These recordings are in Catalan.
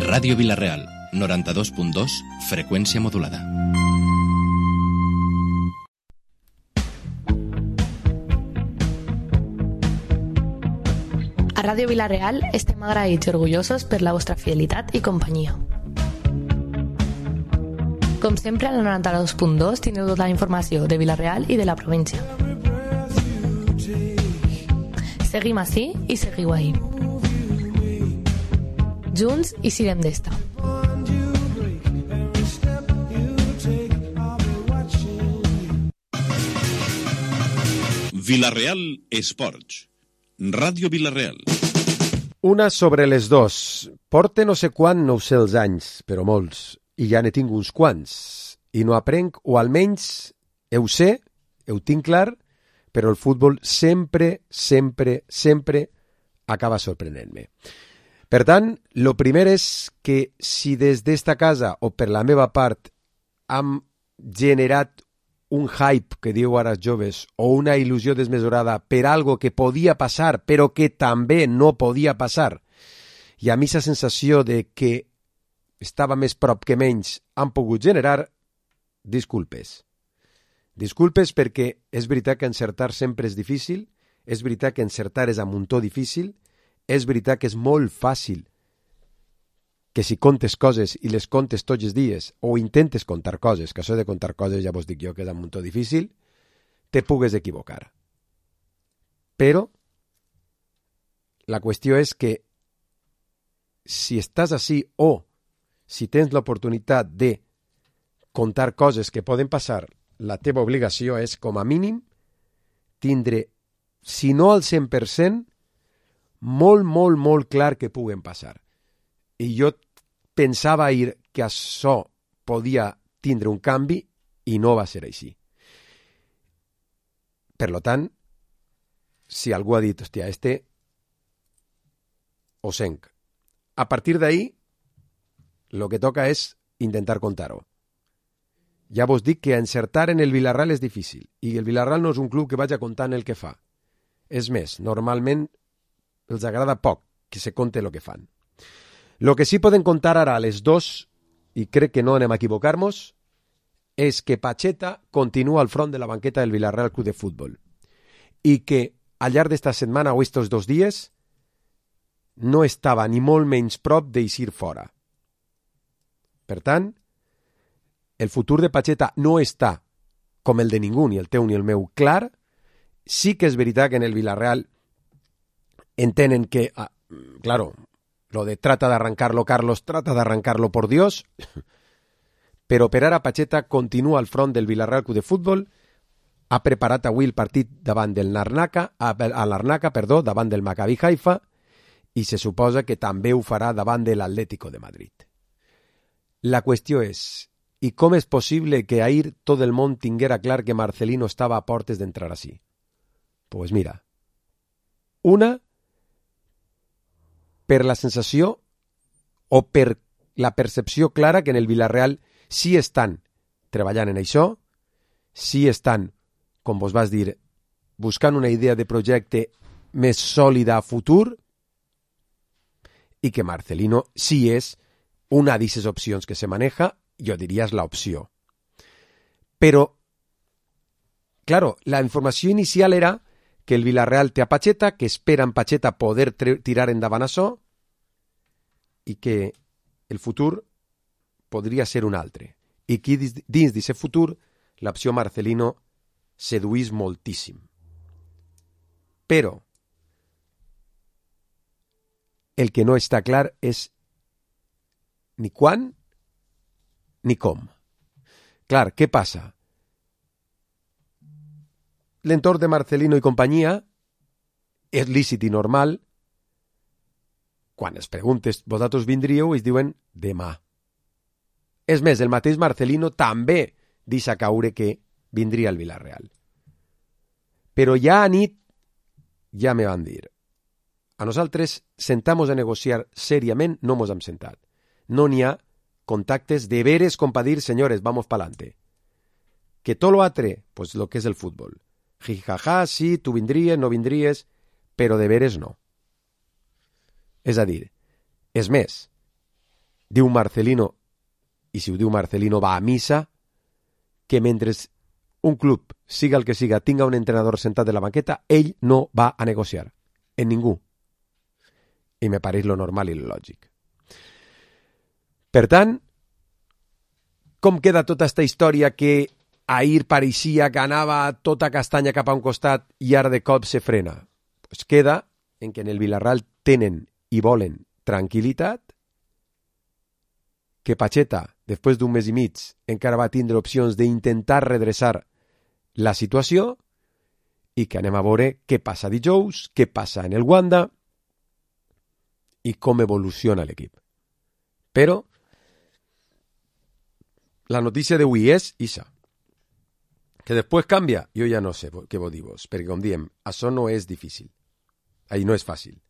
Ràdio Vila-real, 92.2, freqüència modulada. A Ràdio Vila-real estem agraïts i orgullosos per la vostra fidelitat i companyia. Com sempre, al 92.2 teniu tota la informació de Vila-real i de la província. Seguim ací i seguiu ahí. Junts i sirem d'esta. Vila-real Esports. Ràdio Vila-real. Una sobre les dos. Porte no sé quan, no ho sé els anys, però molts, i ja n'he tingut uns quants. I no aprenc, o almenys ho sé, ho tinc clar, però el futbol sempre acaba sorprenent-me. Per tant, el primer és que si des d'esta casa o per la meva part hem generat un hype, que diu ara els joves, o una il·lusió desmesurada per algo que podia passar, però que també no podia passar, i a mi la sensació de que estava més prop que menys han pogut generar, disculpes. Disculpes perquè és veritat que encertar sempre és difícil, és veritat que encertar és a muntó difícil, és veritat que és molt fàcil que si contes coses i les contes tots els dies o intentes contar coses, que això de contar coses ja vos dic jo que és un muntó difícil, te pugues equivocar. Però la qüestió és que si estàs així o si tens l'oportunitat de contar coses que poden passar, la teva obligació és, com a mínim, tindre, si no al 100%, molt clar que puguen passar. I jo pensava ahir que això podia tindre un canvi i no va ser així. Per tant, si algú ha dit, hòstia, ho senc. A partir d'ahir, el que toca és intentar contar-ho. Ja vos dic que encertar en el Vila-real és difícil, i el Vila-real no és un club que vagi contant el que fa. És més, normalment els agrada poc que se conte el que fan. El que sí podem contar ara a les 2, i crec que no anem a equivocar-nos, és que Pacheta continua al front de la banqueta del Vila-real Club de Futbol i que al llarg d'esta setmana o estos 2 dies no estava ni molt menys prop d'eixir fora. Per tant, el futur de Pacheta no està, com el de ningú, ni el teu ni el meu, clar. Sí que és veritat que en el Vila-real entenen que, claro, lo de trata de arrancarlo, Carlos, trata de arrancarlo por Dios, però per ara Pacheta continua al front del Vila-real Club de Futbol, ha preparat avui el partit davant del Larnaca, davant del Maccabi Haifa, i se suposa que també ho farà davant de l'Atlético de Madrid. La qüestió és, i com és possible que ahir tot el món tinguera clar que Marcelino estava a portes d'entrar així? Pues mira, una, per la sensació o per la percepció clara que en el Vila-real sí estan treballant en això, sí estan, com vos vas dir, buscant una idea de projecte més sòlida a futur, i que Marcelino sí és una d'aquestes opcions que se maneja, jo diria és l'opció. Però, claro, la informació inicial era que el Vila-real té a Pacheta, que espera en Pacheta poder tirar endavant això i que el futur podria ser un altre. I que dins d'aquest futur l'opció Marcelino seduís moltíssim. Però el que no està clar és ni quan ni com. Clar, què passa? L'entorn de Marcelino i companyia és lícit i normal. Quan es preguntes, vosaltres vindríeu, es diuen demà. És més, el mateix Marcelino també deixa caure que vindria al Vila-real. Però ja a nit ja me van dir, a nosaltres sentamos a negociar seriament, no mos hem sentat. No n'hi ha contactes de veres com para dir, señores, vamos pa'lante. Que todo lo altre, pues lo que es el fútbol. Jijaja, sí, tú vindries, no vindries, però de veres no. És a dir, és més, diu Marcelino, i si ho diu Marcelino va a missa, que mentre un club, siga el que siga, tinga un entrenador sentat de la banqueta, ell no va a negociar. En ningú. I me pareix lo normal i lo lògic. Per tant, com queda tota esta història que ahir pareixia que anava tota castanya cap a un costat i ara de cop se frena? Pues queda en que en el Villarreal tenen i volen tranquil·litat, que Pacheta, després d'un mes i mig, encara va tindre opcions d'intentar redreçar la situació i que anem a veure què passa dijous, què passa en el Wanda i com evoluciona l'equip. Però la notícia d'avui és ixa. Que després canvia, jo ja no sé què vos dir-vos, perquè com diem, això no és difícil. Ahí no és fàcil.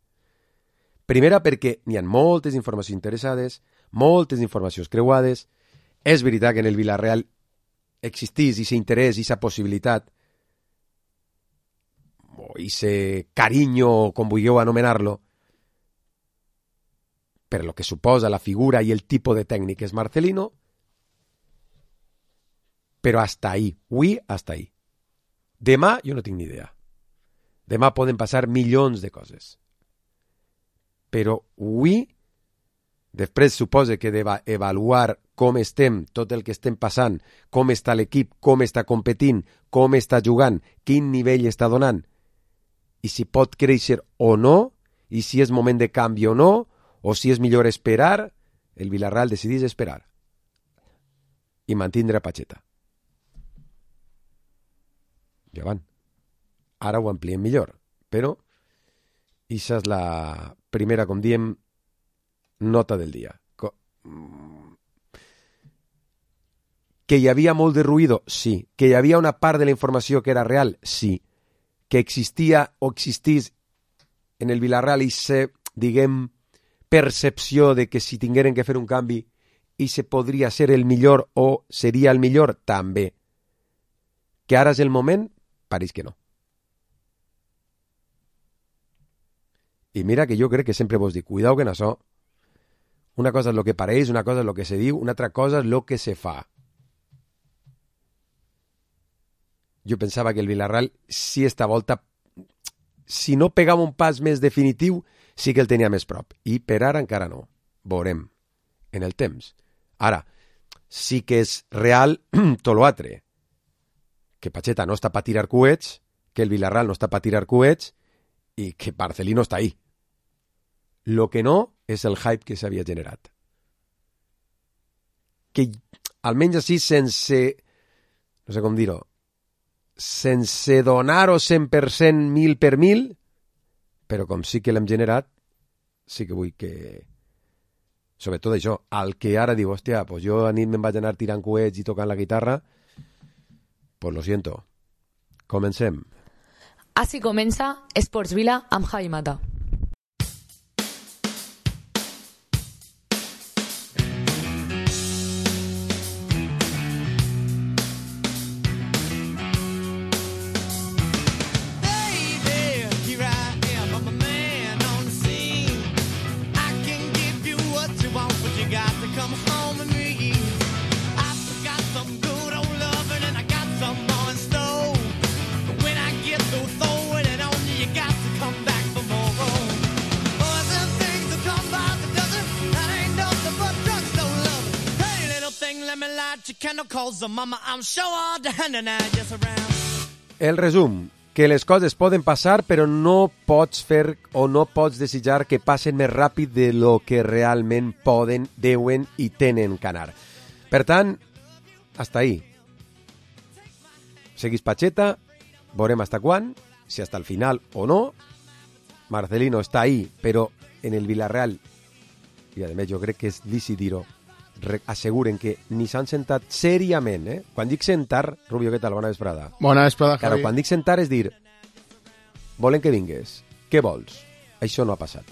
Primera perquè n'hi ha moltes informacions interessades, moltes informacions creuades. És veritat que en el Villarreal existís i s'interès i sa possibilitat o ese carinyo, com vulgueu anomenar-lo, per lo que suposa la figura i el tipus de tècnic és Marcelino, però hasta ahí, avui hasta ahí. Demà jo no tinc ni idea. Demà poden passar milions de coses. Però avui, després suposa que d'avaluar com estem, tot el que estem passant, com està l'equip, com està competint, com està jugant, quin nivell està donant, i si pot créixer o no, i si és moment de canvi o no, o si és millor esperar, el Villarreal decidís esperar i mantindre a Pacheta. Ja van. Ara ho ampliem millor, però això és la primera, com diem, nota del dia. Que hi havia molt de ruïdo? Sí. Que hi havia una part de la informació que era real? Sí. Que existia o existís en el Villarreal i se, diguem, percepció de que si tingueren que fer un canvi i se podria ser el millor o seria el millor? També. Que ara és el moment? Pareix que no. I mira que jo crec que sempre vos dic, cuidao que en això, una cosa és el que pareix, una cosa és el que se diu, una altra cosa és el que se fa. Jo pensava que el Villarreal, si esta volta, si no pegava un pas més definitiu, sí que el tenia més prop. I per ara encara no. Veurem en el temps. Ara, sí que és real tot l'altre. Que Pacheta no està per tirar coets, que el Villarreal no està per tirar coets i que Marcelino està ahí. Lo que no és el hype que s'havia generat. Que almenys així sense, no sé com dir-ho, sense donar-ho 100% 1000 per 1000, però com sí que l'hem generat, sí que vull que, sobretot això, al que ara diu, hòstia, pues jo a nit me'n vaig anar tirant coets i tocant la guitarra, pues lo siento. Comencem. Així comença Esports Vila amb Javi Mata. El resum, que les coses poden passar però no pots fer o no pots desitjar que passen més ràpid de lo que realment poden, deuen i tenen que anar. Per tant, hasta ahí. Seguís Pacheta, veurem hasta quan, si hasta el final o no. Marcelino està ahí, però en el Villarreal, i a més jo crec que és lícit dir-ho, asseguren que ni s'han sentat seriament, eh? Quan dic sentar, Rubio, què tal? Bona vesprada. Bona vesprada, Javi. Claro, quan dic sentar és dir, volen que vingues. Què vols? Això no ha passat.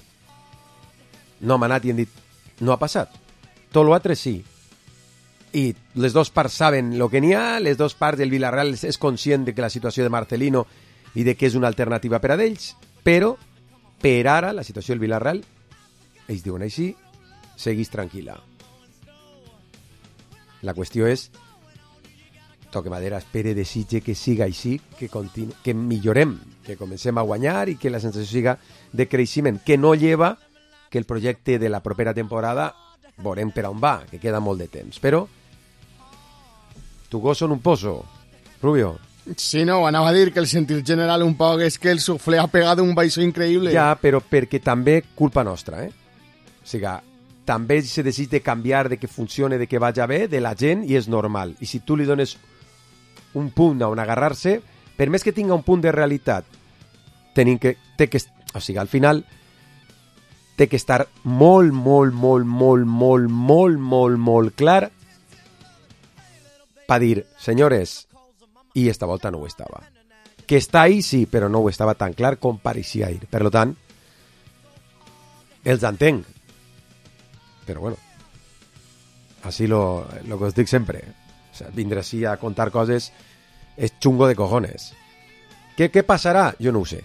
No hem anat i hem dit, no ha passat. Tot l'altre sí. I les dues parts saben el que n'hi ha, les dues parts del Villarreal és conscient de que la situació de Marcelino i de que és una alternativa per a ells, però per ara la situació del Villarreal ells diuen així, seguís tranquil·la. La qüestió és, toque madera, espere, desitge que siga així, que millorem, que comencem a guanyar i que la sensació siga de creixement, que no lleva que el projecte de la propera temporada veurem per on va, que queda molt de temps. Però tu gos són un pozo, Rubio. Sí, no, anava a dir que el sentit general un poc és que el suflé ha pegat un baixó increïble. Ja, però perquè també culpa nostra, O sigui, també se desig de canviar, de que funcione, de que vagi bé, de la gent, i és normal. I si tu li dones un punt on agarrar-se, per més que tinga un punt de realitat, o sigui, al final té que estar molt clar per dir, senyores, i esta volta no ho estava. Que està ahí, sí, però no ho estava tan clar com pareixia ahir. Per tant, els entenc. Però bueno, així lo que us dic sempre. O sea, vindre així a contar coses és xungo de cojones. Què passarà? Jo no ho sé.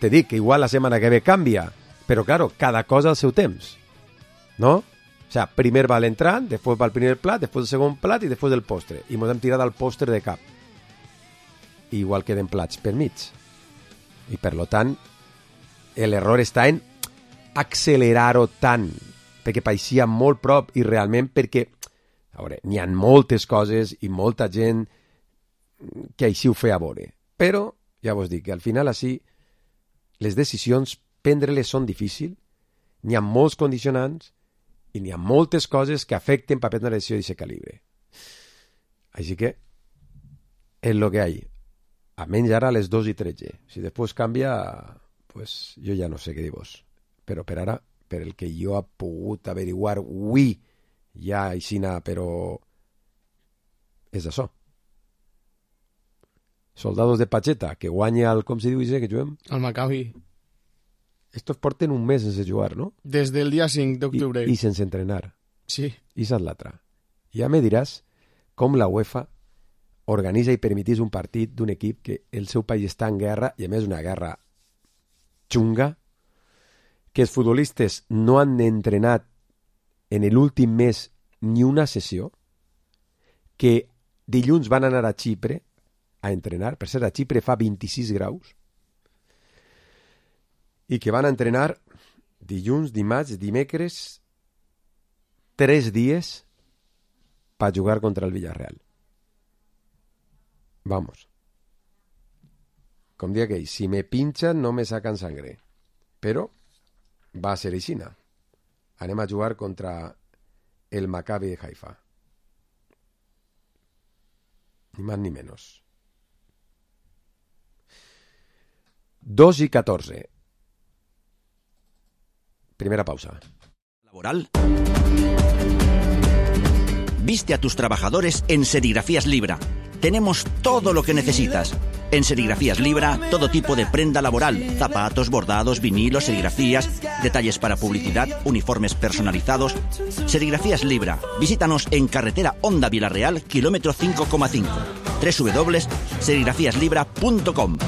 Te dic que igual la setmana que ve canvia, però claro, cada cosa al seu temps. ¿No? O sea, primer va l'entrant, després va el primer plat, després el segon plat i després el postre. I mos hem tirat al postre de cap. Igual queden plats per mig. I per lo tant, l'error està en accelerar-ho tant, perquè pareixia molt prop i realment perquè, a veure, n'hi ha moltes coses i molta gent que així ho feia veure. Però, ja vos dic, que al final així les decisions, prendre-les són difícils, n'hi ha molts condicionants i n'hi ha moltes coses que afecten per prendre una decisió d'aquest calibre. Així que, és el que hi ha. A menys ara a les 2:13. Si després canvia, pues jo ja no sé què dir-vos. Però per ara, per el que jo he pogut averiguar avui, ja aixina, però és això. Soldados de Pacheta, que guanya el, com se diu això, que juguem? El Maccabi. Estos porten un mes sense jugar, no? Des del dia 5 d'octubre. I sense entrenar. Sí. I és l'altra. Ja me diràs com la UEFA organitza i permetís un partit d'un equip que el seu país està en guerra, i a més una guerra xunga, que els futbolistes no han entrenat en l'últim mes ni una sessió, que dilluns van anar a Xipre a entrenar, per cert, a Xipre fa 26 graus, i que van entrenar dilluns, dimarts, dimecres, 3 dies per jugar contra el Villarreal. Vamos. Com dia que si me pinchan no me sacan sangre. Però va a ser aixina. Anem a jugar contra el Maccabi de Haifa. Ni más ni menos. 2:14. Primera pausa. Laboral. Viste a tus trabajadores en Serigrafías Libra. Tenemos todo lo que necesitas. En Serigrafías Libra, todo tipo de prenda laboral, zapatos, bordados, vinilos, serigrafías, detalles para publicidad, uniformes personalizados. Serigrafías Libra. Visítanos en carretera Honda Villarreal, kilómetro 5,5. www.serigrafíaslibra.com.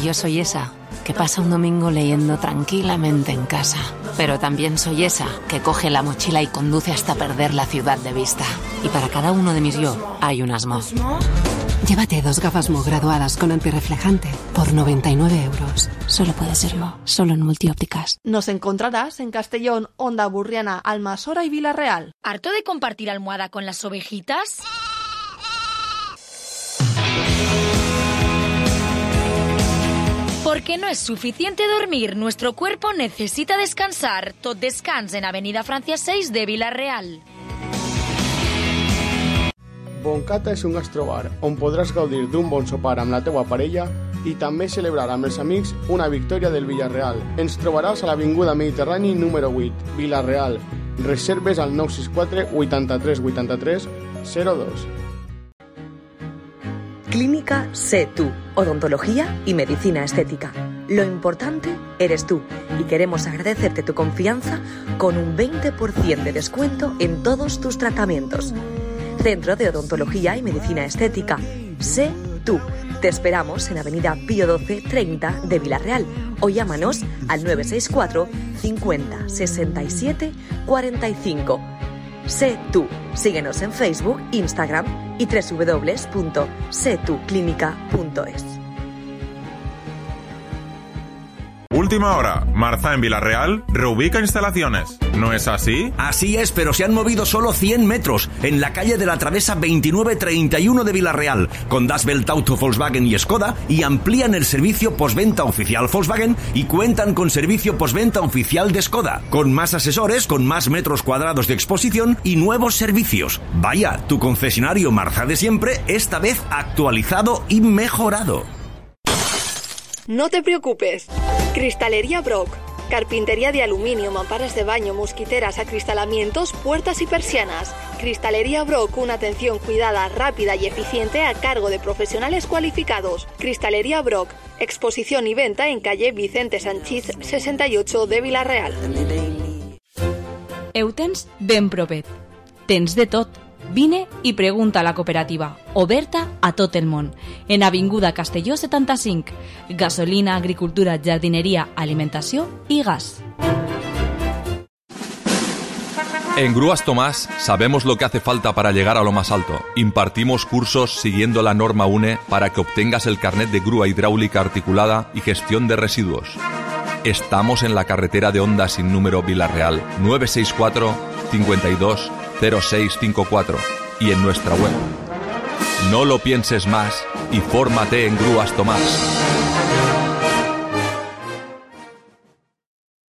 Yo soy esa que pasa un domingo leyendo tranquilamente en casa. Pero también soy esa que coge la mochila y conduce hasta perder la ciudad de vista. Y para cada uno de mis yo hay un Asmo. Llévate 2 gafas Mo graduadas con antirreflejante por 99 euros. Solo puede ser Mo, solo en Multiópticas. Nos encontrarás en Castellón, Onda Burriana, Almasora y Villarreal. ¿Harto de compartir almohada con las ovejitas? Porque no es suficiente dormir, nuestro cuerpo necesita descansar. Tot Descans en Avenida Francia 6 de Villarreal. Boncata és un gastrobar on podràs gaudir d'un bon sopar amb la teua parella i també celebrar amb els amics una victòria del Villarreal. Ens trobaràs a l'Avinguda Mediterrani número 8, Villarreal. Reserves al 964 83 83 02. Clínica Sé Tú, odontología y medicina estética. Lo importante eres tú y queremos agradecerte tu confianza con un 20% de descuento en todos tus tratamientos. Centro de Odontología y Medicina Estética. Sé Tú. Te esperamos en Avenida Pío 12 30 de Villarreal o llámanos al 964 50 67 45. Sé tú. Síguenos en Facebook, Instagram y www.setuclínica.es. Última hora. Marza en Villarreal reubica instalaciones. ¿No es así? Así es, pero se han movido solo 100 metros en la calle de la Travesa 2931 de Villarreal, con Das Welt Auto Volkswagen y Skoda, y amplían el servicio postventa oficial Volkswagen y cuentan con servicio postventa oficial de Skoda, con más asesores, con más metros cuadrados de exposición y nuevos servicios. Vaya, tu concesionario Marza de siempre, esta vez actualizado y mejorado. No te preocupes. Cristalería Brock. Carpintería de aluminio, mamparas de baño, mosquiteras, acristalamientos, puertas y persianas. Cristalería Brock, una atención cuidada, rápida y eficiente a cargo de profesionales cualificados. Cristalería Brock. Exposición y venta en calle Vicente Sanchís 68 de Villarreal. Eutens ben propet. Tens de tot. Vine i pregunta a la cooperativa, oberta a tot el món, en Avinguda Castelló 75, gasolina, agricultura, jardineria, alimentació i gas. En Grúas Tomás sabemos lo que hace falta para llegar a lo más alto. Impartimos cursos siguiendo la norma UNE para que obtengas el carnet de grúa hidráulica articulada y gestión de residuos. Estamos en la carretera de Honda sin número Villarreal, 964 52 0654 y en nuestra web. No lo pienses más y fórmate en Grúas Tomás.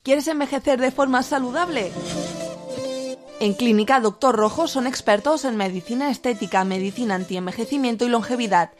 ¿Quieres envejecer de forma saludable? En Clínica Doctor Rojo son expertos en medicina estética, medicina antienvejecimiento y longevidad.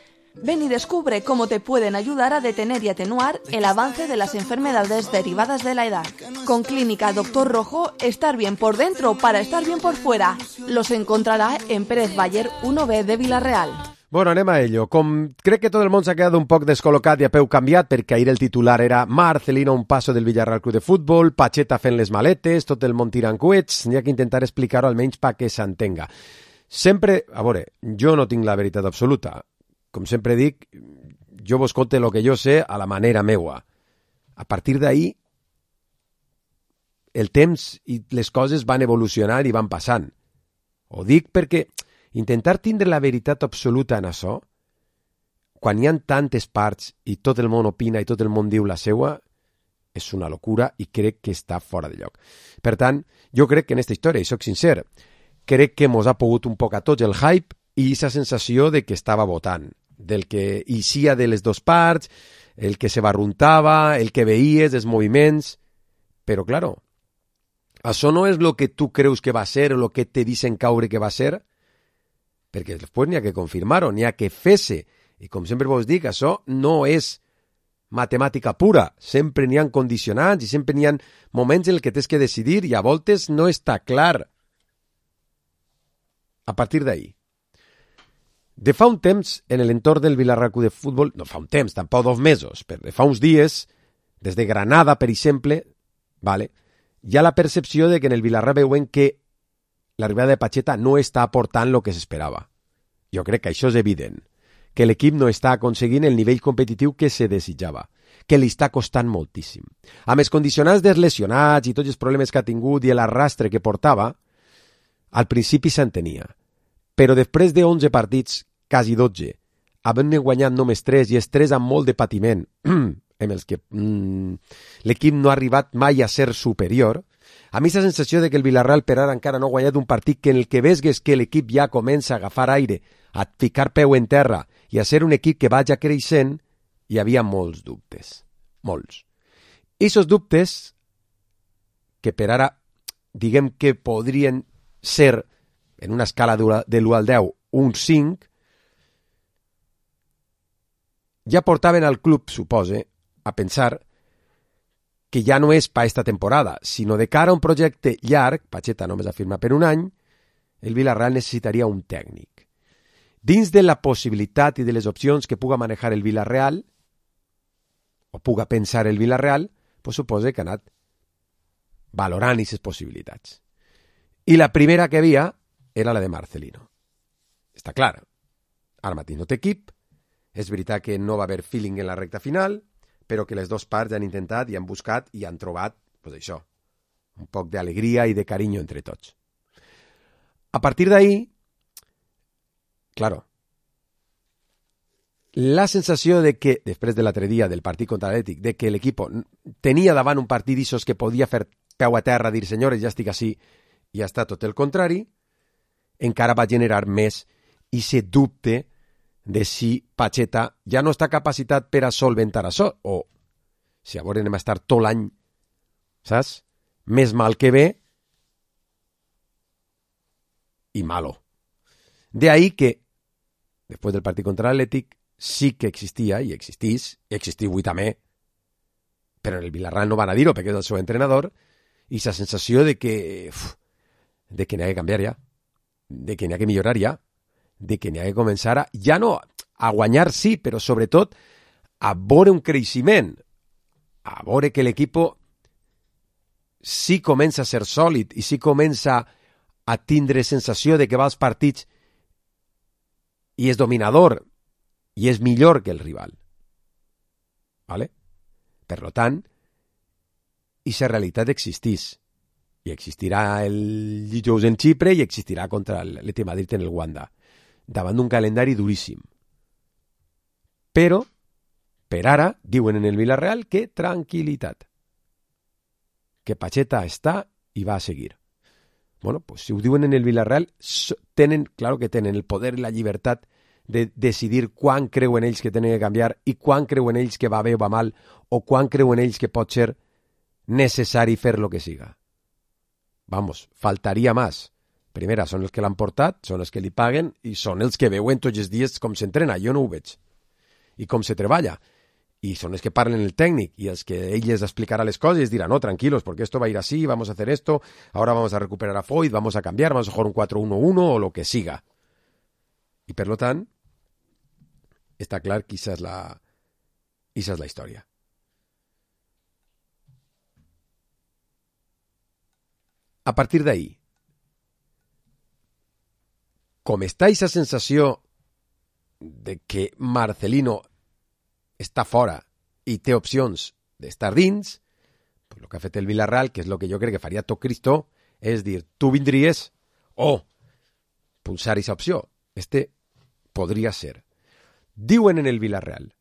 Ven y descubre cómo te pueden ayudar a detener y atenuar el avance de las enfermedades derivadas de la edad. Con Clínica Doctor Rojo, estar bien por dentro para estar bien por fuera. Los encontrarà en Pérez Baller 1B de Villarreal. Bueno, anem a ello. Com crec que tot el món s'ha quedat un poc descol·locat i a peu canviat, perquè ahir el titular era Marcelino a un passo del Villarreal Club de Futbol, Pacheta fent les maletes, tot el món tirant coets, n'hi ha que intentar explicar-ho almenys perquè s'entenga. Sempre, a veure, jo no tinc la veritat absoluta. Com sempre dic, jo vos conte el que jo sé a la manera meua. A partir d'ahir, el temps i les coses van evolucionant i van passant. Ho dic perquè intentar tindre la veritat absoluta en això, quan hi ha tantes parts i tot el món opina i tot el món diu la seua, és una locura i crec que està fora de lloc. Per tant, jo crec que en aquesta història, i soc sincer, crec que mos ha pogut un poc a tots el hype i aquesta sensació de que estava votant, del que eixia de les dues parts, el que se barruntava, el que veies, els moviments... Però, claro, això no és el que tu creus que va ser o el que te dicen caure que va ser, perquè després n'hi ha que confirmar-ho, n'hi ha que fer-se. I com sempre vos dic, això no és matemàtica pura. Sempre n'hi ha condicionants i sempre n'hi ha moments en què tens que decidir i a voltes no està clar. A partir d'ahir. De fa un temps, en l'entorn del Villarreal Club de Futbol, no fa un temps, tampoc 2 mesos, però de fa uns dies, des de Granada, per exemple, vale, hi ha la percepció de que en el Villarreal veuen que l'arribada de Pacheta no està aportant el que s'esperava. Jo crec que això és evident, que l'equip no està aconseguint el nivell competitiu que se desitjava, que li està costant moltíssim. Amb els condicionants dels lesionats i tots els problemes que ha tingut i l'arrastre que portava, al principi s'entenia. Però després de 11 partits, quasi 12, havent-ne guanyat només 3 i els 3 amb molt de patiment, en els que l'equip no ha arribat mai a ser superior, a mi la sensació de que el Villarreal per ara encara no ha guanyat un partit que en el que vesgues que l'equip ja comença a agafar aire, a ficar peu en terra i a ser un equip que vaja creixent, hi havia molts dubtes. Molts. I aquests dubtes, que per ara diguem que podrien ser en una escala de l'1 al 10, un 5, ja portaven al club, supose, a pensar que ja no és per esta temporada, sinó de cara a un projecte llarg, Pacheta només ha firmat per un any, el Villarreal necessitaria un tècnic. Dins de la possibilitat i de les opcions que puga manejar el Villarreal, o puga pensar el Villarreal, pues supose que ha anat valorant aquestes possibilitats. I la primera que havia era la de Marcelino. Està clar. Ara mateix no té equip És veritat que no va haver feeling en la recta final, però que les dues parts han intentat i han buscat i han trobat, pues això, un poc d'alegria i de carinyo entre tots. A partir d'ahí, claro, la sensació de que, després de l'altre dia del partit contra l'Atlètic, de que l'equip tenia davant un partit d'issos que podia fer peu a terra, dir, senyores, ja estic així, i ha estat tot el contrari, encara va generar més i se dubte de si Pacheta ja no està capacitat per a solventar això, o si a veure anem a estar tot l'any, saps? Més mal que bé i malo. De ahí que, després del partit contra l'Atlètic, sí que existia, i existís, i existia avui també, però en el Villarreal no van a dir-ho perquè és el seu entrenador, i la sensació de que n'hi ha que canviar ja, de que n'hi ha que millorar ja, de que n'hi ha que començar a, ja no a guanyar sí, però sobretot a veure un creixement, a veure que l'equip sí comença a ser sòlid i sí comença a tindre sensació de que va als partits i és dominador i és millor que el rival. ¿Vale? Per tant, aquesta realitat existís. I existirà el dijous en Xipre i existirà contra l'Atlètic Madrid en el Wanda, davant d'un calendari duríssim. Però, per ara, diuen en el Villarreal que tranquil·litat. Que Pacheta està i va a seguir. Bueno, pues si ho diuen en el Villarreal, tenen, claro que tenen el poder i la llibertat de decidir quan creuen ells que tenen que canviar i quan creuen ells que va bé o va mal, o quan creuen ells que pot ser necessari fer lo que siga. Vamos, faltaria més. Primera, són els que l'han portat, són els que li paguen i són els que veuen tots els dies com s'entrena. Jo no ho veig. I com se treballa. Y son los que parlen el técnico y els que ell les explicarà les coses y dirà, no, tranquilos, porque esto va a ir así, vamos a hacer esto, ahora vamos a recuperar a Foyt, vamos a cambiar, vamos a jugar un 4-1-1 o lo que siga. I per lo tant, està clar que esa és la història. A partir d'ahí, com està aquesta sensació de que Marcelino està fora i té opcions d'estar dins, pues el que ha fet el Villarreal, que és el que jo crec que faria tot Cristo, és dir, tu vindries o pulsar aquesta opció. Podria ser. Diuen en el Villarreal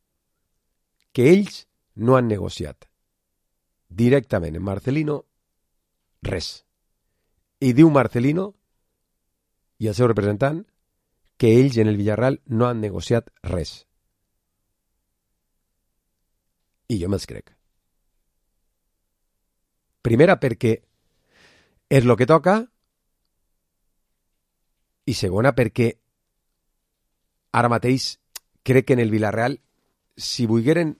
que ells no han negociat directament amb Marcelino res. I diu Marcelino i el seu representant que ells en el Villarreal no han negociat res. I jo me'ls crec. Primera, perquè és el que toca, i segona, perquè ara mateix crec que en el Villarreal, si volgueren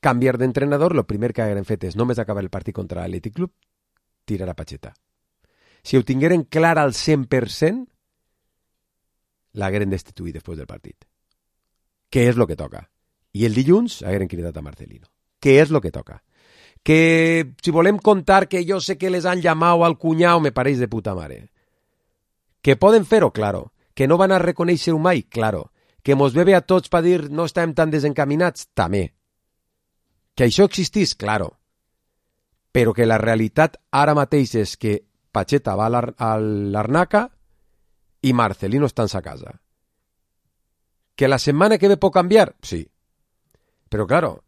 canviar d'entrenador, el primer que hagueren fet és només acabar el partit contra l'Atlètic Club, tirar a Pacheta. Si ho tingueren clar al 100%, l'hagueren destituït després del partit. Què és el que toca? I el dilluns hagueren cridat a Marcelino. Què és el que toca? Que si volem contar que jo sé que les han llamado al cunyau, me pareix de puta mare. Que poden fer-ho, claro. Que no van a reconèixer-ho mai, claro. Que mos bebe a tots per dir no estem tan desencaminats, també. Que això existís, claro. Però que la realitat ara mateix és que Pacheta va a l'Arnaca i Marcelino està en sa casa. Que la setmana que ve pot canviar? Sí. Però, claro,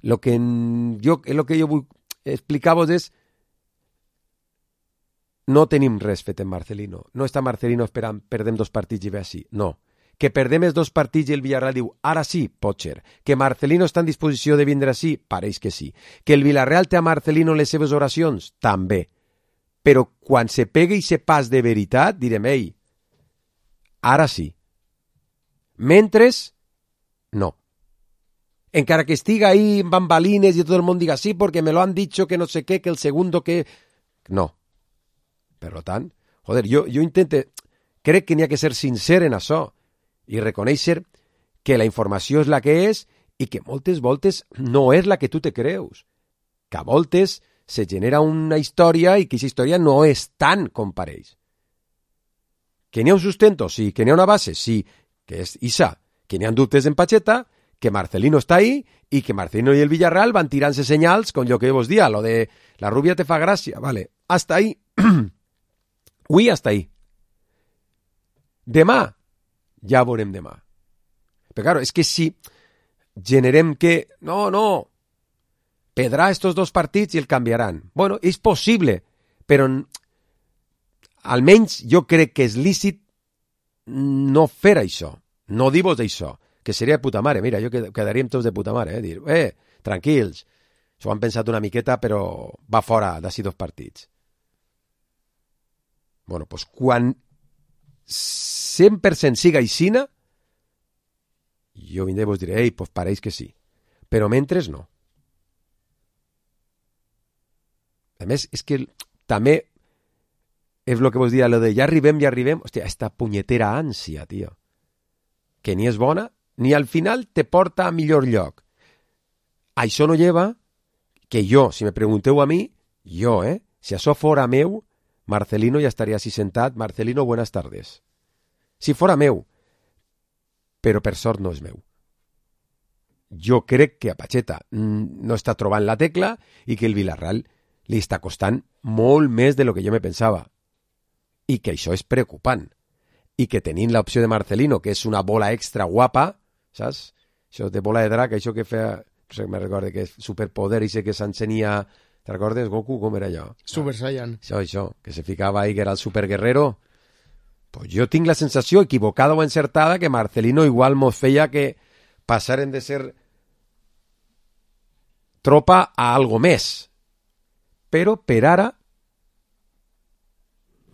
lo que jo vull explicar-vos és no tenim res fet en Marcelino. No està Marcelino esperant perdem 2 partits i ve així. No. Que perdem els 2 partits i el Villarreal diu ara sí, pot ser. Que Marcelino està en disposició de vindre així? Pareix que sí. Que el Villarreal té a Marcelino les seves oracions? També. Però quan se pega i se pas de veritat, direm, ei, ara sí. Mentres, no. Encara que estiga ahí en bambalines y todo el mundo diga sí porque me lo han dicho que no sé qué, que el segundo que... No. Per tant, joder, jo intento... Crec que n'hi ha que ser sincer en això i reconèixer que la informació és la que és i que moltes voltes no és la que tu te creus. Que a voltes se genera una història i que aquesta història no és tant com pareix. Que n'hi ha un sustento? Sí. Que n'hi ha una base? Sí. Que és Isa. Que n'hi ha dubtes en Pacheta? que Marcelino està ahí i que Marcelino i el Villarreal van tirant-se senyals con lo que vos dia, lo de la rubia te fa gràcia, vale, hasta ahí. Avui hasta ahí. Demà, ja veurem demà. Però claro, és que si generem que, no, perdrà estos dos partits i el canviaran. Bueno, és possible, però almenys jo crec que és lícit no fer això, no dir-vos això, que seria de puta mare. Mira, jo quedaríem tots de puta mare, dir, tranquils, s'ho han pensat una miqueta, però va fora d'ací 2 partits. Bueno, doncs quan 100% siga aixina, jo vindré i vos diré, doncs pareix que sí. Però mentre no. A més, és que també és el que vos dia, lo de ja arribem, hòstia, esta punyetera ànsia, tio, que ni és bona, ni al final te porta a millor lloc. Això no lleva que jo, si me pregunteu a mi, si això fora meu, Marcelino ja estaria així sentat, Marcelino, buenas tardes. Si fora meu, però per sort no és meu. Jo crec que a Pacheta no està trobant la tecla i que el Villarreal li està costant molt més de lo que jo me pensava. I que això és preocupant. I que tenint l'opció de Marcelino, que és una bola extra guapa, saps? Això de bola de drac, això que feia, no sé, me recordo que és superpoder, i sé que s'encenia, te recordes, Goku, com era allò? Super Saiyan. Això, que se ficava ahí, que era el superguerrero. Pues jo tinc la sensació, equivocada o encertada, que Marcelino igual mos feia que passaren de ser tropa a algo més. Però per ara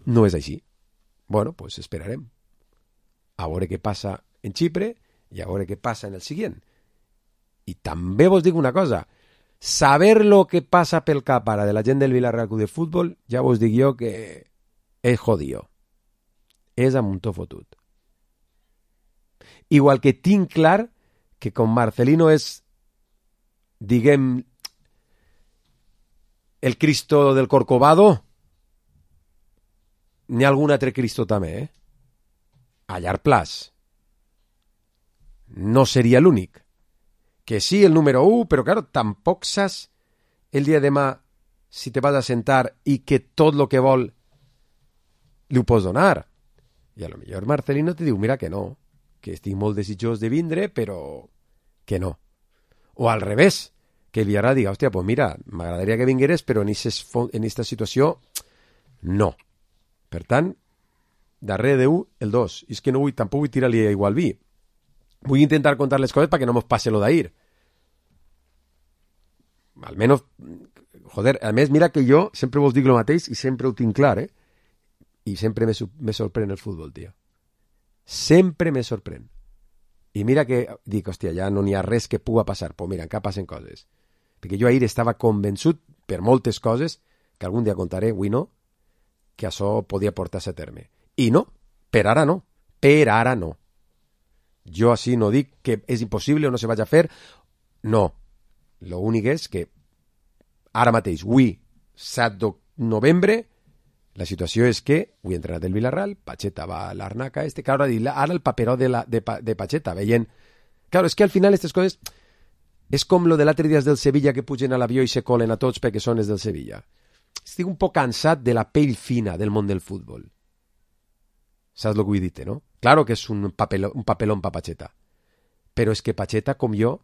no és així. Bueno, pues esperarem. A veure què passa en Xipre i a veure què passa en el següent. I també vos dic una cosa. Saber lo que passa pel cap ara de la gent del Villarreal Club de Futbol, ja vos dic jo que és jodido. És a muntó fotut. Igual que tinc clar que con Marcelino és, diguem, el Cristo del Corcovado, n'hi ha algun altre Cristo també, a llarg plaç. No seria l'únic. Que sí, el número 1, però claro, tampoc saps el dia de demà si te vas a sentar i que tot lo que vol li ho pots donar. I a lo millor Marcelino te diu, mira que no, que estic molt desitjós de vindre, però que no. O al revés, que el Villarreal diga, hòstia, pues mira, m'agradaria que vingueres, però en aquesta situació no. Per tant, darrere de 1, el 2. I és que no vull, tampoc vull tirar-li aigua al vi. Vull intentar contar les coses perquè no mos passe lo d'ahir. Almenys, joder, a més, mira que jo sempre vos dic lo mateix i sempre ho tinc clar, I sempre me sorprèn el futbol, tio. Sempre me sorprèn. I mira que dic, hòstia, ja no n'hi ha res que puga passar. Pues mira, encara passen coses. Perquè jo ahir estava convençut per moltes coses, que algun dia contaré, avui no, que això podia portar-se a terme. I no, per ara no. Per ara no. Jo així no dic que és impossible o no se vaig a fer. No. L'únic és que ara mateix, avui, 7 de novembre, la situació és que avui ha entrenat el Villarreal, Pacheta va a l'Arnaca, claro, ara el paperó de Pacheta, veient... Claro, és que al final aquestes coses és com lo de l'altre dia del Sevilla que pugen a l'avió i se colen a tots perquè són els del Sevilla. Estic un poc cansat de la pell fina del món del futbol. Saps el que vull dir, no? Claro que és un papelón pa Pacheta. Però és que Pacheta, com jo,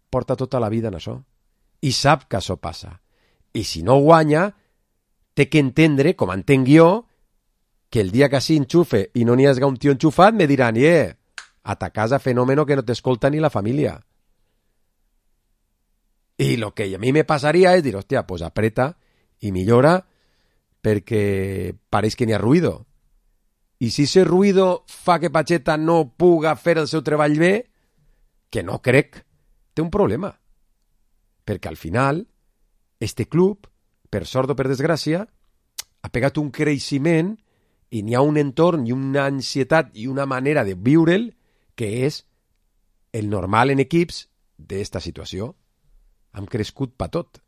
porta tota la vida en això. I sap que això passa. I si no guanya, té que entendre, com entenc jo, que el dia que així enxufe i no n'hi hagi un tio enxufat, me diran, a ta casa fenómeno que no t'escolta ni la família. I lo que a mi me passaria és dir, hòstia, pues apreta i millora perquè pareix que n'hi ha ruïdo. I si ese ruïdo fa que Pacheta no puga fer el seu treball bé, que no crec, té un problema. Perquè al final, este club, per sort o per desgràcia, ha pegat un creixement i n'hi ha un entorn i una ansietat i una manera de viure'l que és el normal en equips d'esta situació. Hem crescut pa tot.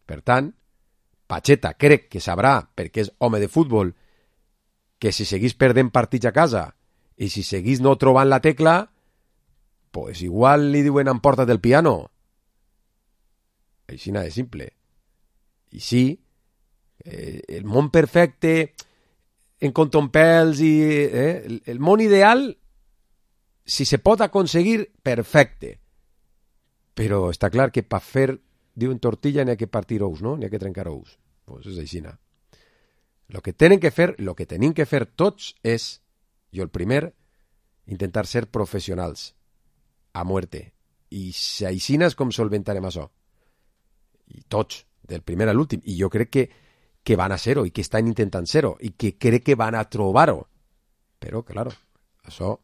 Per tant, Pacheta crec que sabrà, perquè és home de futbol, que si seguís perdent partits a casa i si seguís no trobant la tecla, pues igual li diuen emporta't del piano. Així de simple. I sí, el món perfecte, en contompels i el món ideal, si se pot aconseguir, perfecte. Però està clar que per fer, diuen tortilla, n'hi ha que partir ous, no? N'hi ha que trencar ous. Pues és així. Lo que tenim que fer tots és, jo el primer, intentar ser professionals a muerte. I així és com solventarem això. I tots, del primer a l'últim. I jo crec que van a ser-ho i que estan intentant ser-ho i que crec que van a trobar-ho. Però, clar, això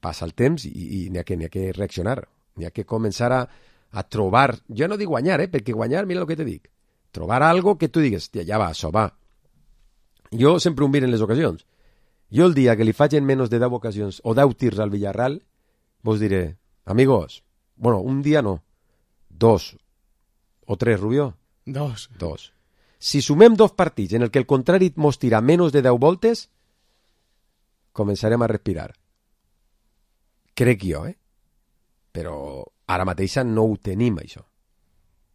passa el temps i n'hi ha que reaccionar. N'hi ha que començar a trobar, jo no dic guanyar, perquè guanyar, mira el que te dic, trobar algo que tu digues, ja va, això va. Jo sempre ho miro en les ocasions. Jo el dia que li faig en menys de 10 ocasions o 10 tirs al Villarreal, vos diré, amigos, bueno, un dia no, 2 o 3, Rubió? 2. Si sumem 2 partits en el que el contrari mos tira menys de 10 voltes, començarem a respirar. Crec jo, Però ara mateixa no ho tenim, això.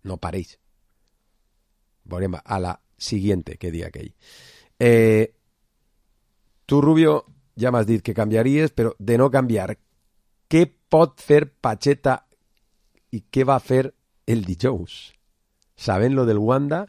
No pareix. Veurem a la siguiente, que dia aquell. Tu, Rubio, ja m'has dit que canviaries, però de no canviar, què pot fer Pacheta i què va fer el dijous? Saben lo del Wanda?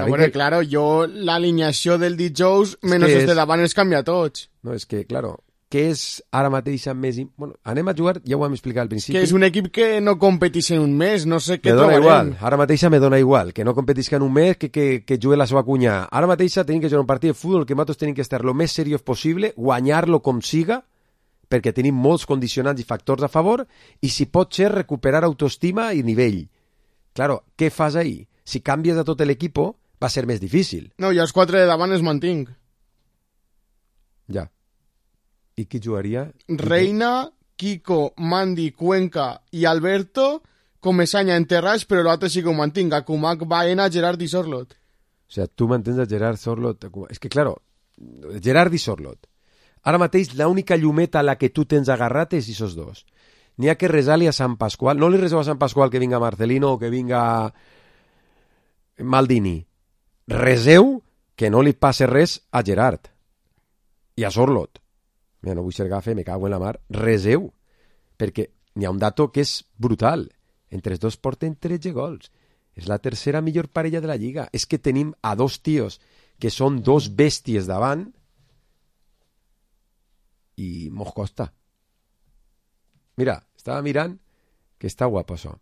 Bueno, claro, jo l'alineació del dijous, menys els de davant els canvia tots. No, és que, claro, què és ara mateix més... Bueno, anem a jugar, ja ho vam explicar al principi. Que és un equip que no competeix en un mes, no sé què trobarem. Igual, ara mateix me dona igual, que no competeix en un mes, que jugui la seva cunya. Ara mateix tenim que jugar un partit de futbol que nosaltres tenim que estar lo més seriós possible, guanyar-lo com siga, perquè tenim molts condicionants i factors a favor, i si pot ser recuperar autoestima i nivell. Claro, què fas ahí? Si canvies a tot l'equip, va ser més difícil. No, i els 4 de davant els mantinc. Ja. I qui jugaria? Reina, Kiko, Mandy, Cuenca i Alberto, Comesaña en Terraix, però l'altre sí que ho mantinc. A Kumak, Baena, Gerard i Sorlot. O sea, tu mantens a Gerard, Sorlot... És que, claro, Gerard i Sorlot. Ara mateix, l'única llumeta a la que tu tens agarrat és aquests dos. N'hi ha que resar-li a Sant Pasqual. No li reseu a Sant Pasqual que vinga Marcelino o que vinga Maldini. Reseu que no li passe res a Gerard i a Sorlot. Mira, no vull ser gafe, me cago en la mar. Reseu, perquè n'hi ha un dato que és brutal. Entre els dos porten 13 gols. És la tercera millor parella de la Lliga. És que tenim a 2 tios que són 2 bèsties davant i mos costa. Mira, estava mirant que està guapo això.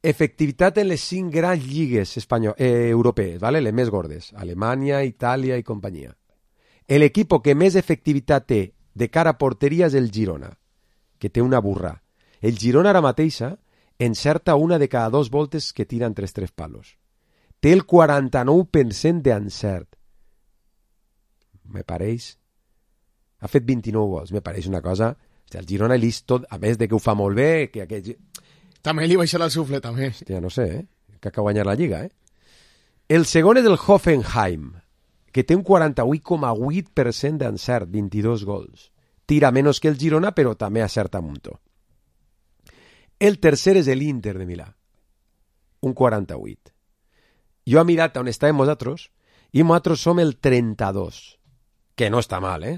Efectivitat en les 5 grans lligues europees, ¿vale? Les més gordes. Alemanya, Itàlia i companyia. L'equip que més efectivitat té de cara a porteria és el Girona, que té una burra. El Girona ara mateixa encerta una de cada 2 voltes que tira entre els 3 palos. Té el 49% d'encert. Me pareix... Ha fet 29 gols, me pareix una cosa... El Girona és tot, a més de que ho fa molt bé... Que aquest... També li baixarà el sufle, també. Hòstia, no sé, que acaba de guanyar la Lliga, El segon és el Hoffenheim, que té un 48,8% d'encert, 22 gols. Tira menys que el Girona, però també acerta mucho. El tercer és l'Inter de Milà, un 48. Jo he mirat on estàvem nosaltres, i nosaltres som el 32, que no està mal,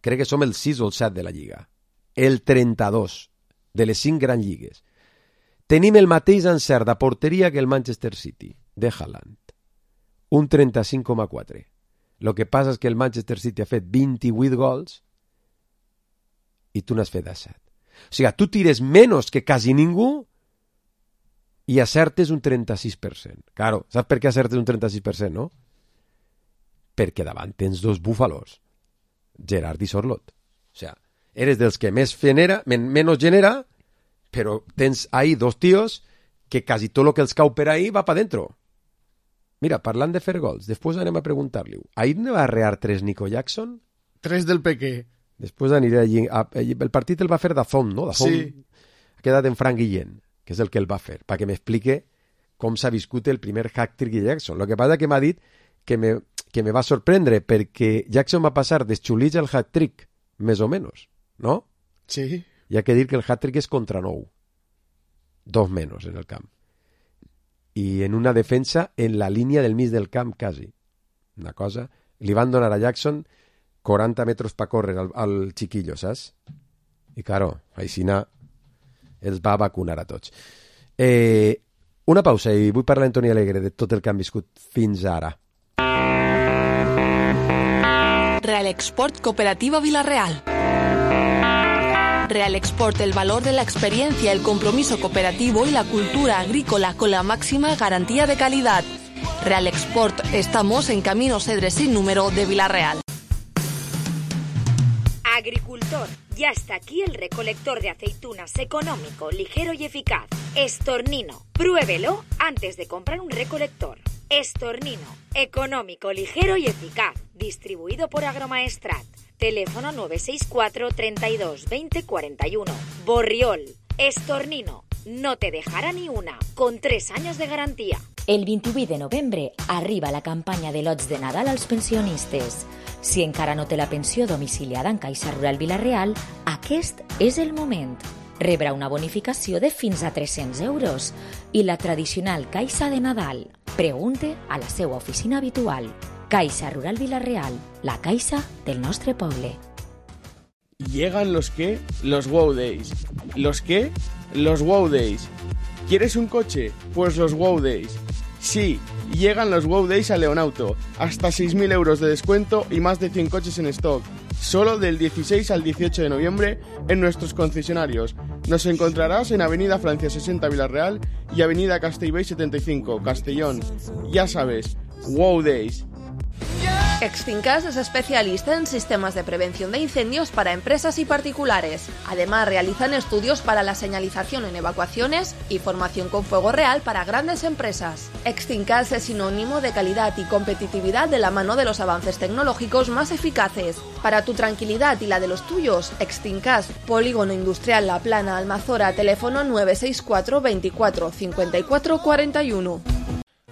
Crec que som el 6 o el 7 de la Lliga. El 32, de les 5 grans lligues. Tenim el mateix encert de porteria que el Manchester City, de Haaland. Un 35,4. Lo que passa és que el Manchester City ha fet 28 gols i tu n'has fet 17. O sigui, tu tires menys que quasi ningú i acertes un 36%. Claro, saps per què acertes un 36%, no? Perquè davant tens 2 búfalos, Gerard i Sorlot. O sigui, eres dels que més genera, menys genera, però tens ahí 2 tios que quasi tot el que els cau per ahí va pa dentro. Mira, parlant de fer gols, després anem a preguntar-li. Ahir ne va arrear 3 Nico Jackson? 3 del Pequé. Després aniré allí. El partit el va fer Dazón, no? Dazón sí. Ha quedat en Frank Guillén, que és el que el va fer, perquè m'explique com s'ha viscut el primer hat-trick de Jackson. Lo que passa que m'ha dit que me va sorprendre, perquè Jackson va passar d'esxulits al hat-trick, més o menys, no? Sí. hi ha que dir que el hat-trick és contra 9. 2 menys en el camp. I en una defensa en la línia del mig del camp, quasi. Una cosa... Li van donar a Jackson 40 metres per córrer al chiquillo, saps? I, claro, Aixina els va vacunar a tots. Una pausa i vull parlar a Antoni Alegre de tot el que han viscut fins ara. Real Export Cooperativa Villarreal. Real Export, el valor de la experiencia, el compromiso cooperativo y la cultura agrícola con la máxima garantía de calidad. Real Export, estamos en Camino Cedres sin número de Villarreal. Agricultor, ya está aquí el recolector de aceitunas económico, ligero y eficaz. Estornino, pruébelo antes de comprar un recolector. Estornino, económico, ligero y eficaz. Distribuido por Agromaestrat. Teléfono 964 32 20 41. Borriol, Estornino, no te dejará ni una, con 3 años de garantía. El 28 de novembre arriba la campanya de lots de Nadal als pensionistes. Si encara no té la pensió domiciliada en Caixa Rural Vila-real, aquest és el moment. Rebrà una bonificació de fins a 300 euros i la tradicional Caixa de Nadal. Pregunte a la seva oficina habitual. Caixa Rural Vila-real, la caixa del nostre poble. Llegan los qué, los Wow Days. ¿Los qué? Los Wow Days. ¿Quieres un coche? Pues los Wow Days. Sí, llegan los Wow Days a Leonauto. Hasta 6.000 euros de descuento y más de 100 coches en stock. Solo del 16 al 18 de noviembre en nuestros concesionarios. Nos encontrarás en Avenida Francia 60 Villarreal y Avenida Castellbell 75 Castellón. Ya sabes, Wow Days. Extincas es especialista en sistemas de prevención de incendios para empresas y particulares. Además, realizan estudios para la señalización en evacuaciones y formación con fuego real para grandes empresas. Extincas es sinónimo de calidad y competitividad de la mano de los avances tecnológicos más eficaces. Para tu tranquilidad y la de los tuyos, Extincas, Polígono Industrial La Plana, Almazora, teléfono 964 24 54 41.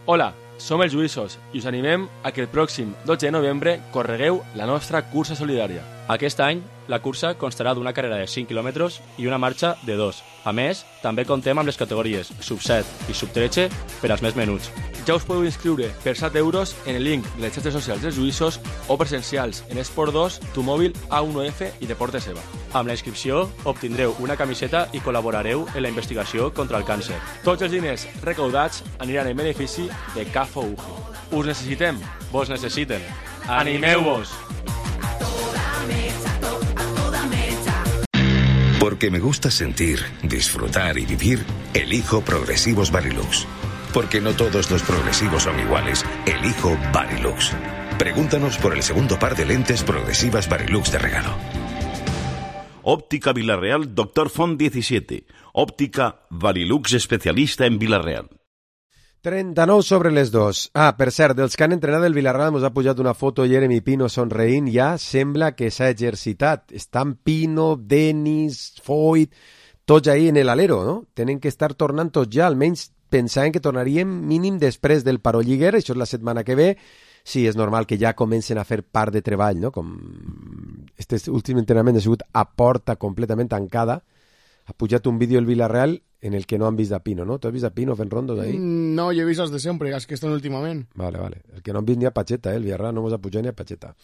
Hola, som els Lluïssos i us animem a que el pròxim 12 de novembre corregueu la nostra cursa solidària. Aquest any, la cursa constarà d'una carrera de 5 quilòmetres i una marxa de 2. A més, també contem amb les categories sub-7 i sub-13 per als més menuts. Ja us podeu inscriure per 7 euros en el link de les xarxes socials dels Lluïssos o presencials en Esport 2, Tu Mòbil, A1F i Deportes EVA. Amb la inscripció obtindreu una camiseta i col·laborareu en la investigació contra el càncer. Tots els diners recaudats aniran en benefici de CAFO UGI. Us necessitem, vos necessiten. Animeu-vos! Porque me gusta sentir, disfrutar y vivir, elijo Progresivos Varilux. Porque no todos los progresivos son iguales, elijo Varilux. Pregúntanos por el segundo par de lentes progresivas Varilux de regalo. Óptica Villarreal Dr. Font 17. Óptica Varilux especialista en Villarreal. 39 sobre les 2. Per cert, dels que han entrenat el Villarreal ens ha pujat una foto Jeremy Pino somreint, ja sembla que s'ha exercitat. Estan Pino, Denis, Foyt, tots ahí en l'alero, no? Tenen que estar tornant tots ja, almenys pensaven que tornaríem mínim després del Paró Lliguer, això és la setmana que ve. Sí, és normal que ja comencen a fer part de treball, no? Com este últim entrenament ha sigut a porta completament tancada. Ha pujat un vídeo el Villarreal en el que no han vist a Pino, ¿no? ¿Tú has visto a Pino fent rondos ahí? No, yo he visto els de sempre, és que estan últimament. Vale. El que no han vist ni a Pacheta, el Villarreal no hemos ha pujat ni a Pacheta.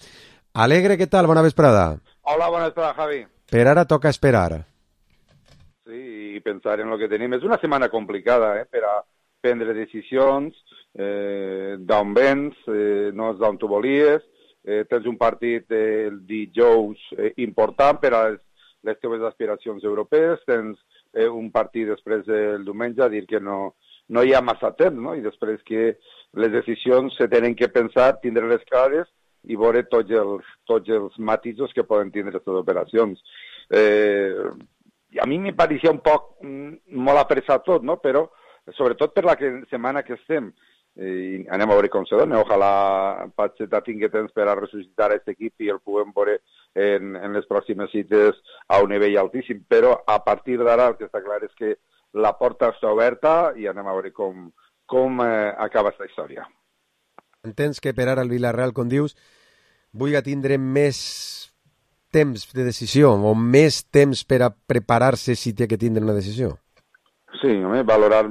Alegre, ¿qué tal? Bona vesprada. Hola, bona vesprada, Javi. Per ara toca esperar. Sí, i pensar en lo que tenim. És una setmana complicada, per a prendre decisions, d'on vens, no és d'on tu volies, tens un partit el dijous important per a les teves aspiracions europees, tens un partit després del diumenge, a dir que no hi ha massa temps, no? I després que les decisions se tenen que pensar, tindre les clares i veure tots els matisos que poden tindre aquestes operacions. A mi me parecia un poc molt apressat tot, no? Però sobretot per la setmana que estem, i anem a veure com se dona. Ojalà Pacheta tingui temps per a ressuscitar aquest equip i el puguem veure en les pròximes cites a un nivell altíssim, però a partir d'ara el que està clar és que la porta està oberta i anem a veure com acaba aquesta història. Entens que per ara el Villarreal, com dius, vulgui tindre més temps de decisió o més temps per a preparar-se si té que tindre una decisió? Sí, home, valorar...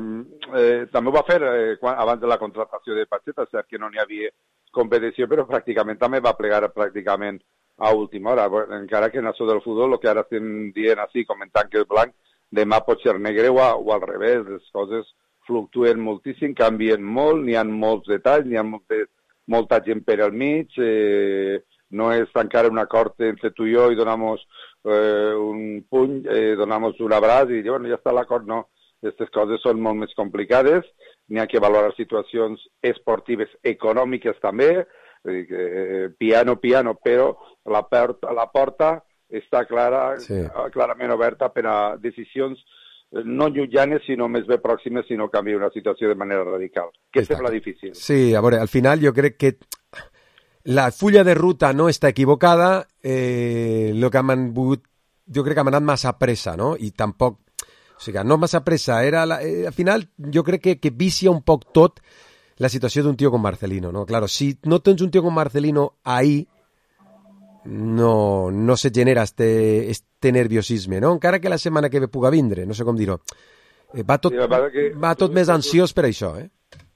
també ho va fer abans de la contratació de Pacheta, cert que no n'hi havia competició, però pràcticament també va plegar pràcticament a última hora, encara que en això del futbol, el que ara estem dient així, comentant que és blanc, demà pot ser negre o al revés, les coses fluctuen moltíssim, canvien molt, n'hi ha molts detalls, n'hi ha molta gent per al mig, no és encara un acord entre tu i jo i donamos un puny, donamos un abraç i bueno, ja està l'acord, no. Aquestes coses són molt més complicades, n'hi ha que valorar situacions esportives econòmiques també, piano, però la porta està clarament oberta per a decisions no llutjanes, sinó més bé pròximes, si no canvia una situació de manera radical, que sembla difícil. Sí, a veure, al final jo crec que la fulla de ruta no està equivocada, lo que han volgut, jo crec que han anat massa pressa, no? I tampoc, o sigui, no massa pressa, al final jo crec que vicia un poc tot la situació d'un tio com Marcelino, no? Claro, si no tens un tio com Marcelino ahí, no se genera este nerviosisme, no? Encara que la setmana que ve puga vindre, no sé com dir-ho. Va tot més ansiós per això,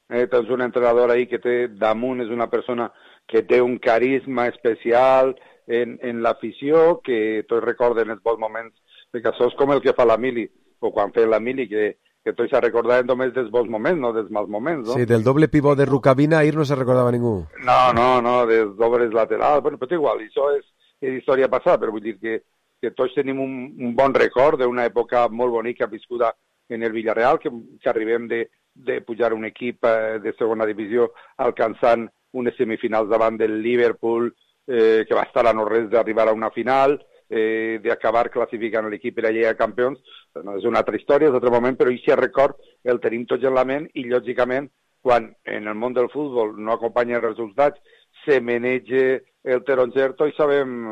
Tens un entrenador ahí que té damunt, és una persona que té un carisma especial en l'afició, que tots recorden els bons moments, perquè això és com el que fa la Mili, o quan feia la Mili, que tots se recordaven només dels bons moments, no dels mals moments, no? Sí, del doble pivot de Rukavina ahir no se recordava ningú. No, dels dobles laterals, bueno, però igual, això és història passada, però vull dir que tots tenim un bon record d'una època molt bonica viscuda en el Villarreal, que arribem de pujar un equip de segona divisió alcançant unes semifinals davant del Liverpool, que va estar a no res d'arribar a una final, d'acabar classificant l'equip per a la Lliga de Campions. No, és una altra història, és un altre moment, però aquest record el tenim tots en la ment i, lògicament, quan en el món del futbol no acompanyen els resultats, se maneja el taronger, tots sabem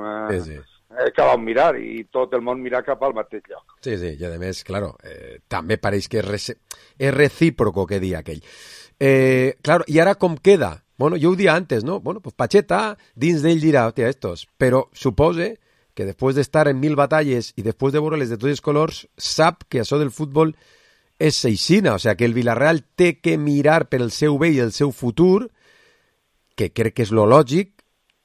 que vam mirar i tot el món mirar cap al mateix lloc. Sí, i a més, claro, també pareix que és recíproco que dia aquell. Claro, i ara com queda? Bueno, jo ho dia antes, ¿no? Bueno, pues Pacheta dins d'ell dirà, hòstia, estos, però supose que després d'estar en 1000 batalles i després de veure-les de tots els colors, sap que això del futbol és seixina, o sigui, que el Villarreal té que mirar per el seu bé i el seu futur, que crec que és lo lògic,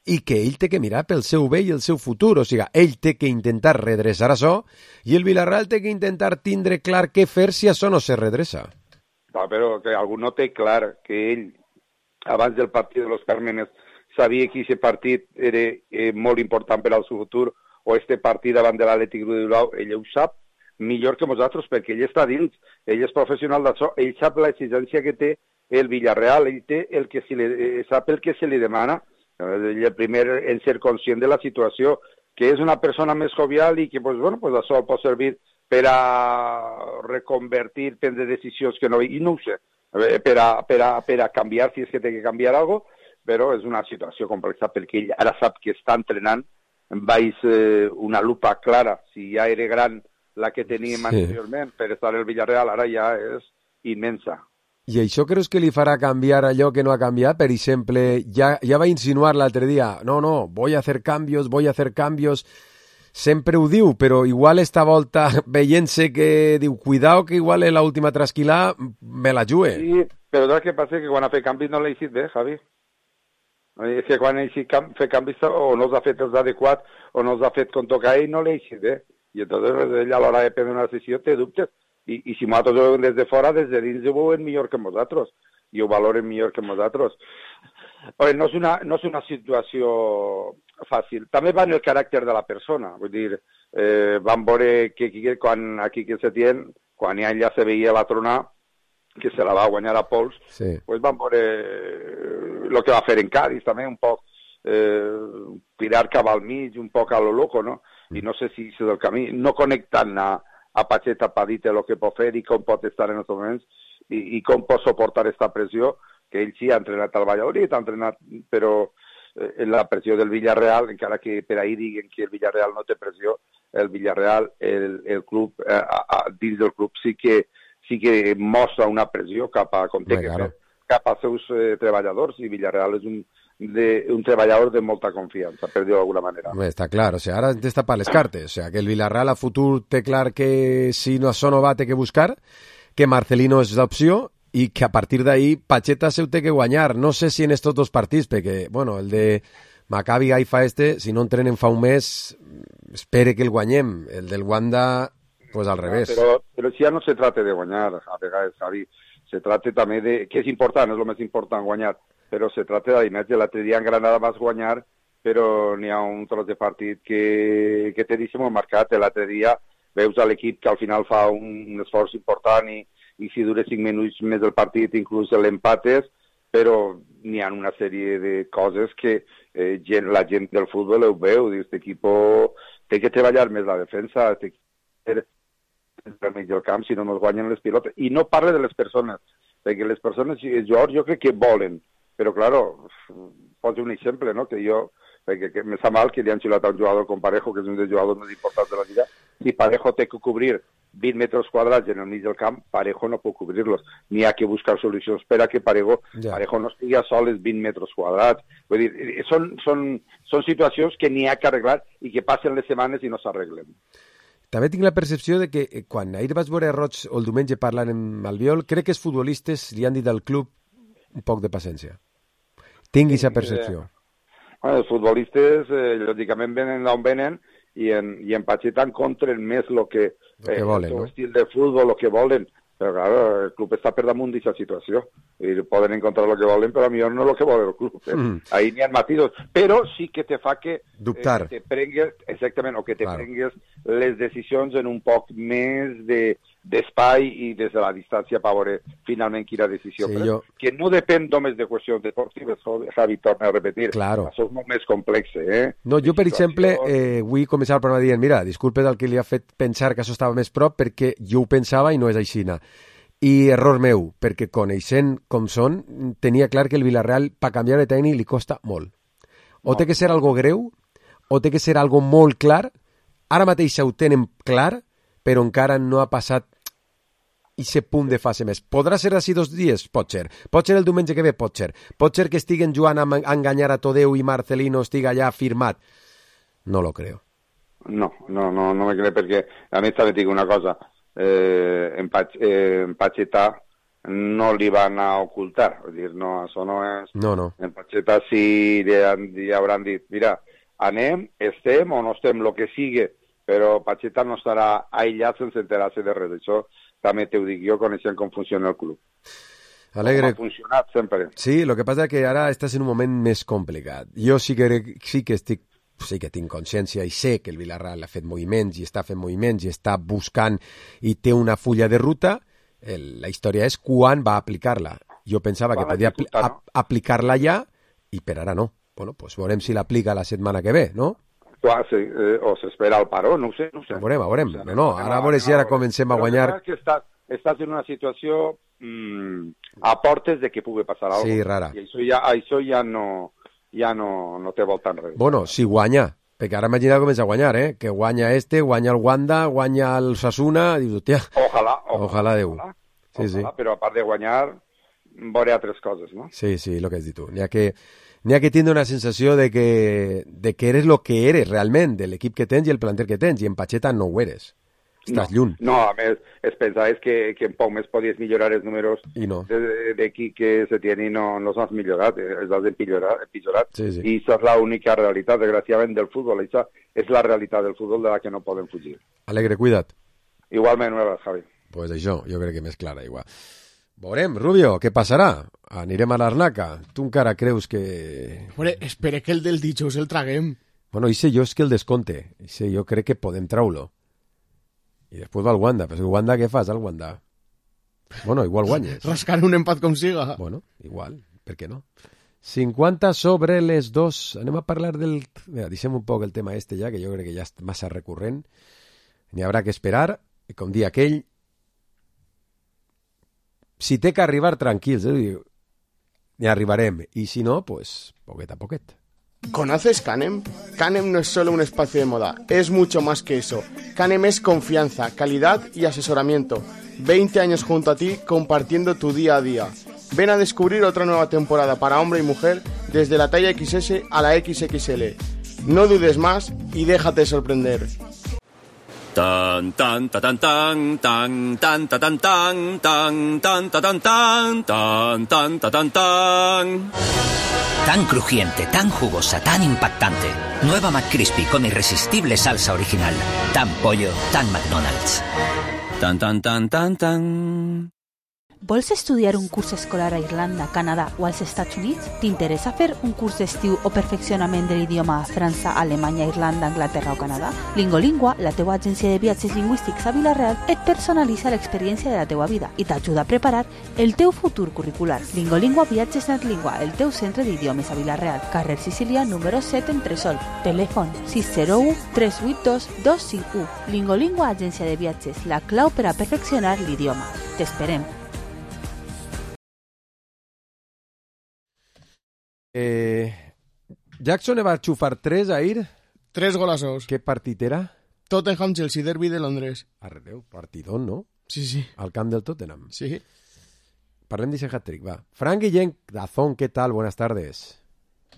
i que ell té que mirar pel seu bé i el seu futur, o sigui, ell té que intentar redreçar això i el Villarreal té que intentar tindre clar què fer si això no se redreça. No, però que algú no té clar que ell, abans del partit de los Cármenes, sabia que aquest partit era molt important per al seu futur, o este partit davant de l'Atlètic de Bilbao, ell ho sap millor que nosaltres, perquè ell està dins, ell és professional d'això, ell sap l'exigència que té el Villarreal, ell té sap el que se li demana, ell el primer en ser conscient de la situació, que és una persona més jovial i que això pot servir per a reconvertir, prendre decisions que no... I no ho sé, per a canviar, si és que té que canviar alguna cosa, però és una situació complexa perquè ell ara sap que està entrenant baix una lupa clara. Si ja era gran la que teníem anteriorment per estar al Villarreal, ara ja és immensa. I això creus que li farà canviar allò que no ha canviat? Per exemple, ja va insinuar l'altre dia, no, voy a hacer cambios, sempre ho diu, però igual esta volta veient-se que diu, cuidao que igual en l'última trasquilà me la jugue. Sí, però el que passa és que quan ha fet canvis no l'ha eixit bé, Javi. És que quan ell fer canvis o no els ha fet els adequats o no els ha fet com toca ell, no l'ha eixit bé. I entonces ell a l'hora de prendre una decisió té dubtes. I si nosaltres ho veuen des de fora, des de dins ho veuen millor que nosaltres. I ho valoren millor que nosaltres. No és una situació fàcil. També va en el caràcter de la persona. Vull dir, vam veure que quan aquí que se tien, quan ja se veia la tronà, que se la va guanyar a pols, pues vam veure el que va fer en Cádiz també, un poc tirar cap al mig, un poc a lo loco, no? I no sé si és el camí, no connectant a Pacheta per dir-te el que pot fer i com pot estar en aquests moments i com pot suportar aquesta pressió, que ell sí ha entrenat al Valladolid, però en la pressió del Villarreal, encara que per ahir diguen que el Villarreal no té pressió, el Villarreal, el club, dins del club sí que mostra una pressió cap a com té que fer, cap als seus treballadors, i Villarreal és d'un treballador de molta confiança, per dir-ho d'alguna manera. Està clar, o sigui, ara està per les cartes, o sigui, que el Villarreal a futur té clar que si no això no va té que buscar, que Marcelino és l'opció i que a partir d'ahí Pacheta se ho té que guanyar. No sé si en estos dos partits, perquè, bueno, el de Maccabi Haifa si no entrenen fa un mes, espere que el guanyem. El del Wanda, pues al revés. Però si ja no se trata de guanyar, a vegades, Javi, se trata també de, que és important, és el més important guanyar, però se trata d'imatge. L'altre dia en Granada vas guanyar, però n'hi ha un tros de partit que té deixa molt marcat. L'altre dia veus a l'equip que al final fa un esforç important i si dura 5 minuts més del partit, inclús l'empates, però n'hi ha una sèrie de coses que la gent del futbol ho veu, diu, aquest equip té que treballar més la defensa, té que al mig del camp, si no ens guanyen les pilotes. I no parle de les persones, perquè les persones, els jugadors, jo crec que volen, però, claro, poso un exemple, no?, que jo, perquè me sap mal que li han xiulat a un jugador com Parejo, que és un dels jugadors més importants de la lliga. Si Parejo té que cobrir 20 metres quadrats en el mig del camp, Parejo no pot cobrir-los. N'hi ha que buscar solucions per a que Parejo no estigui a sol els 20 metres quadrats. Vull dir, són situacions que n'hi ha que arreglar i que passen les setmanes i no s'arreglen. També tinc la percepció de que quan ahir vaig veure Roig o el diumenge parlant amb Albiol, crec que els futbolistes li han dit al club un poc de paciència. Tinc aquesta percepció. Els futbolistes, lògicament, venen d'on venen i en Pacheta encontren més el que volen, el estil de futbol, el que volen. Però, clar, el club està per damunt d'aquesta situació. I poden encontrar el que volen, però a millor no el que vol el club. Ahí n'hi ha matisos. Però sí que te fa que dubtar. Te prengues, exactament, o que te prengues les decisions en un poc més d'espai i des de la distància per veure finalment quina decisió. Sí, que no depèn només de qüestions deportives, Javi, torna a repetir. Claro. Això és molt més complex, No, jo, per exemple, vull començar el programa dient, mira, disculpes el que li ha fet pensar que això estava més prop, perquè jo ho pensava i no és aixina. I error meu, perquè coneixent com són, tenia clar que el Villarreal, per canviar de tècnic, li costa molt. O té que ser algo greu, o té que ser algo molt clar. Ara mateix ho tenen clar, però encara no ha passat aquest punt de fase més. Podrà ser d'ací 2 dies? Pot ser. Pot ser el diumenge que ve? Pot ser. Pot ser que estiguen jugant a enganyar a Todeu i Marcelino estiga allà firmat? No lo creo. No me crec, perquè a més també dic una cosa. En Pacheta no li van a ocultar, vull dir, no, això no és... No. En Pacheta sí li hauran dit, mira, anem, estem o no estem, el que sigui, però Pacheta no estarà aïllat sense enterar-se de res. Això també t'ho dic jo, coneixent com funciona el club. Alegre. Ha funcionat sempre. Sí, el que passa és que ara estàs en un moment més complicat. Jo sí que tinc consciència i sé que el Villarreal ha fet moviments i està fent moviments i està buscant i té una fulla de ruta. La història és quan va aplicar-la. Jo pensava que podia aplicar-la ja i per ara no. Bueno, pues veurem si l'aplica la setmana que ve, no? O s'espera el paró, no ho sé. Veurem. No, ara a veure si ara comencem a guanyar... Estàs en una situació a portes de que pugui passar alguna cosa. Sí, rara. I això ja no té voltant res. Bueno, si guanya, perquè ara imagina com comença a guanyar, que guanya guanya el Wanda, guanya el Sasuna, dius, hòstia, ojalà Déu. Sí. Però a part de guanyar, veure altres coses, no? Sí, el que has dit tu. N'hi ha que tindre una sensació de que eres lo que eres realment, de l'equip que tens i el planter que tens, i en Pacheta no ho eres. Estàs lluny. No, a més, es pensava que en poc més podies millorar els números d'aquí que se tenen i no s'has millorat, els has empitjorat. Sí. I això és l'única realitat, desgraciadament, del futbol. Això és la realitat del futbol de la que no podem fugir. Alegre, cuida't. Igualment, una vegada, Javi. Pues això, jo crec que més clara, igual. Veurem, Rubio, què passarà? Anirem a l'Arnaca? Tu encara creus que... Hombre, espera que el del dijous el traguem. Bueno, jo és que el descompte. Jo crec que podem treure-lo. I després va el Wanda. Però el Wanda, què fas, el Wanda? Bueno, igual guanyes. Rascar un empat com siga. Bueno, igual, per què no? 50 sobre les 2. Anem a parlar del... Mira, deixem un poc el tema ja, que jo crec que ja és massa recurrent. N'hi haurà que esperar. I com dia aquell, si té que arribar tranquils, n'hi arribarem. Y si no, pues poquet a poquet. ¿Conoces Canem? Canem no es solo un espacio de moda, es mucho más que eso. Canem es confianza, calidad y asesoramiento. 20 años junto a ti compartiendo tu día a día. Ven a descubrir otra nueva temporada para hombre y mujer desde la talla XS a la XXL. No dudes más y déjate sorprender. Tan tan ta tan tan tan tan ta tan tan tan tan ta tan tan tan tan ta tan tan. Tan crujiente, tan jugosa, tan impactante. Nueva McCrispy con irresistible salsa original. Tan pollo, tan McDonald's. Tan tan tan tan tan. Vols estudiar un curs escolar a Irlanda, Canadà o als Estats Units? T'interessa fer un curs d'estiu o perfeccionament de l'idioma a França, Alemanya, Irlanda, Anglaterra o Canadà? Lingolingua, la teua agència de viatges lingüístics a Vila-real, et personalitza l'experiència de la teua vida i t'ajuda a preparar el teu futur curricular. Lingolingua Viatges Netlingua, el teu centre d'idiomes a Vila-real, carrer Sicília, número 7, Entresol. Telèfon 601 382 251. Lingolingua, agència de viatges, la clau per a perfeccionar l'idioma. T'esperem. Jackson va xufar 3 ahir. 3 golazos. Què partit era? Tottenham-Chelsea, derbi de Londres. Arreu, partidón, ¿no? Sí. Al camp del Tottenham. Sí. Parlem d'ese hat-trick, va. Frank Guillén, Dazón, ¿qué tal? Buenas tardes.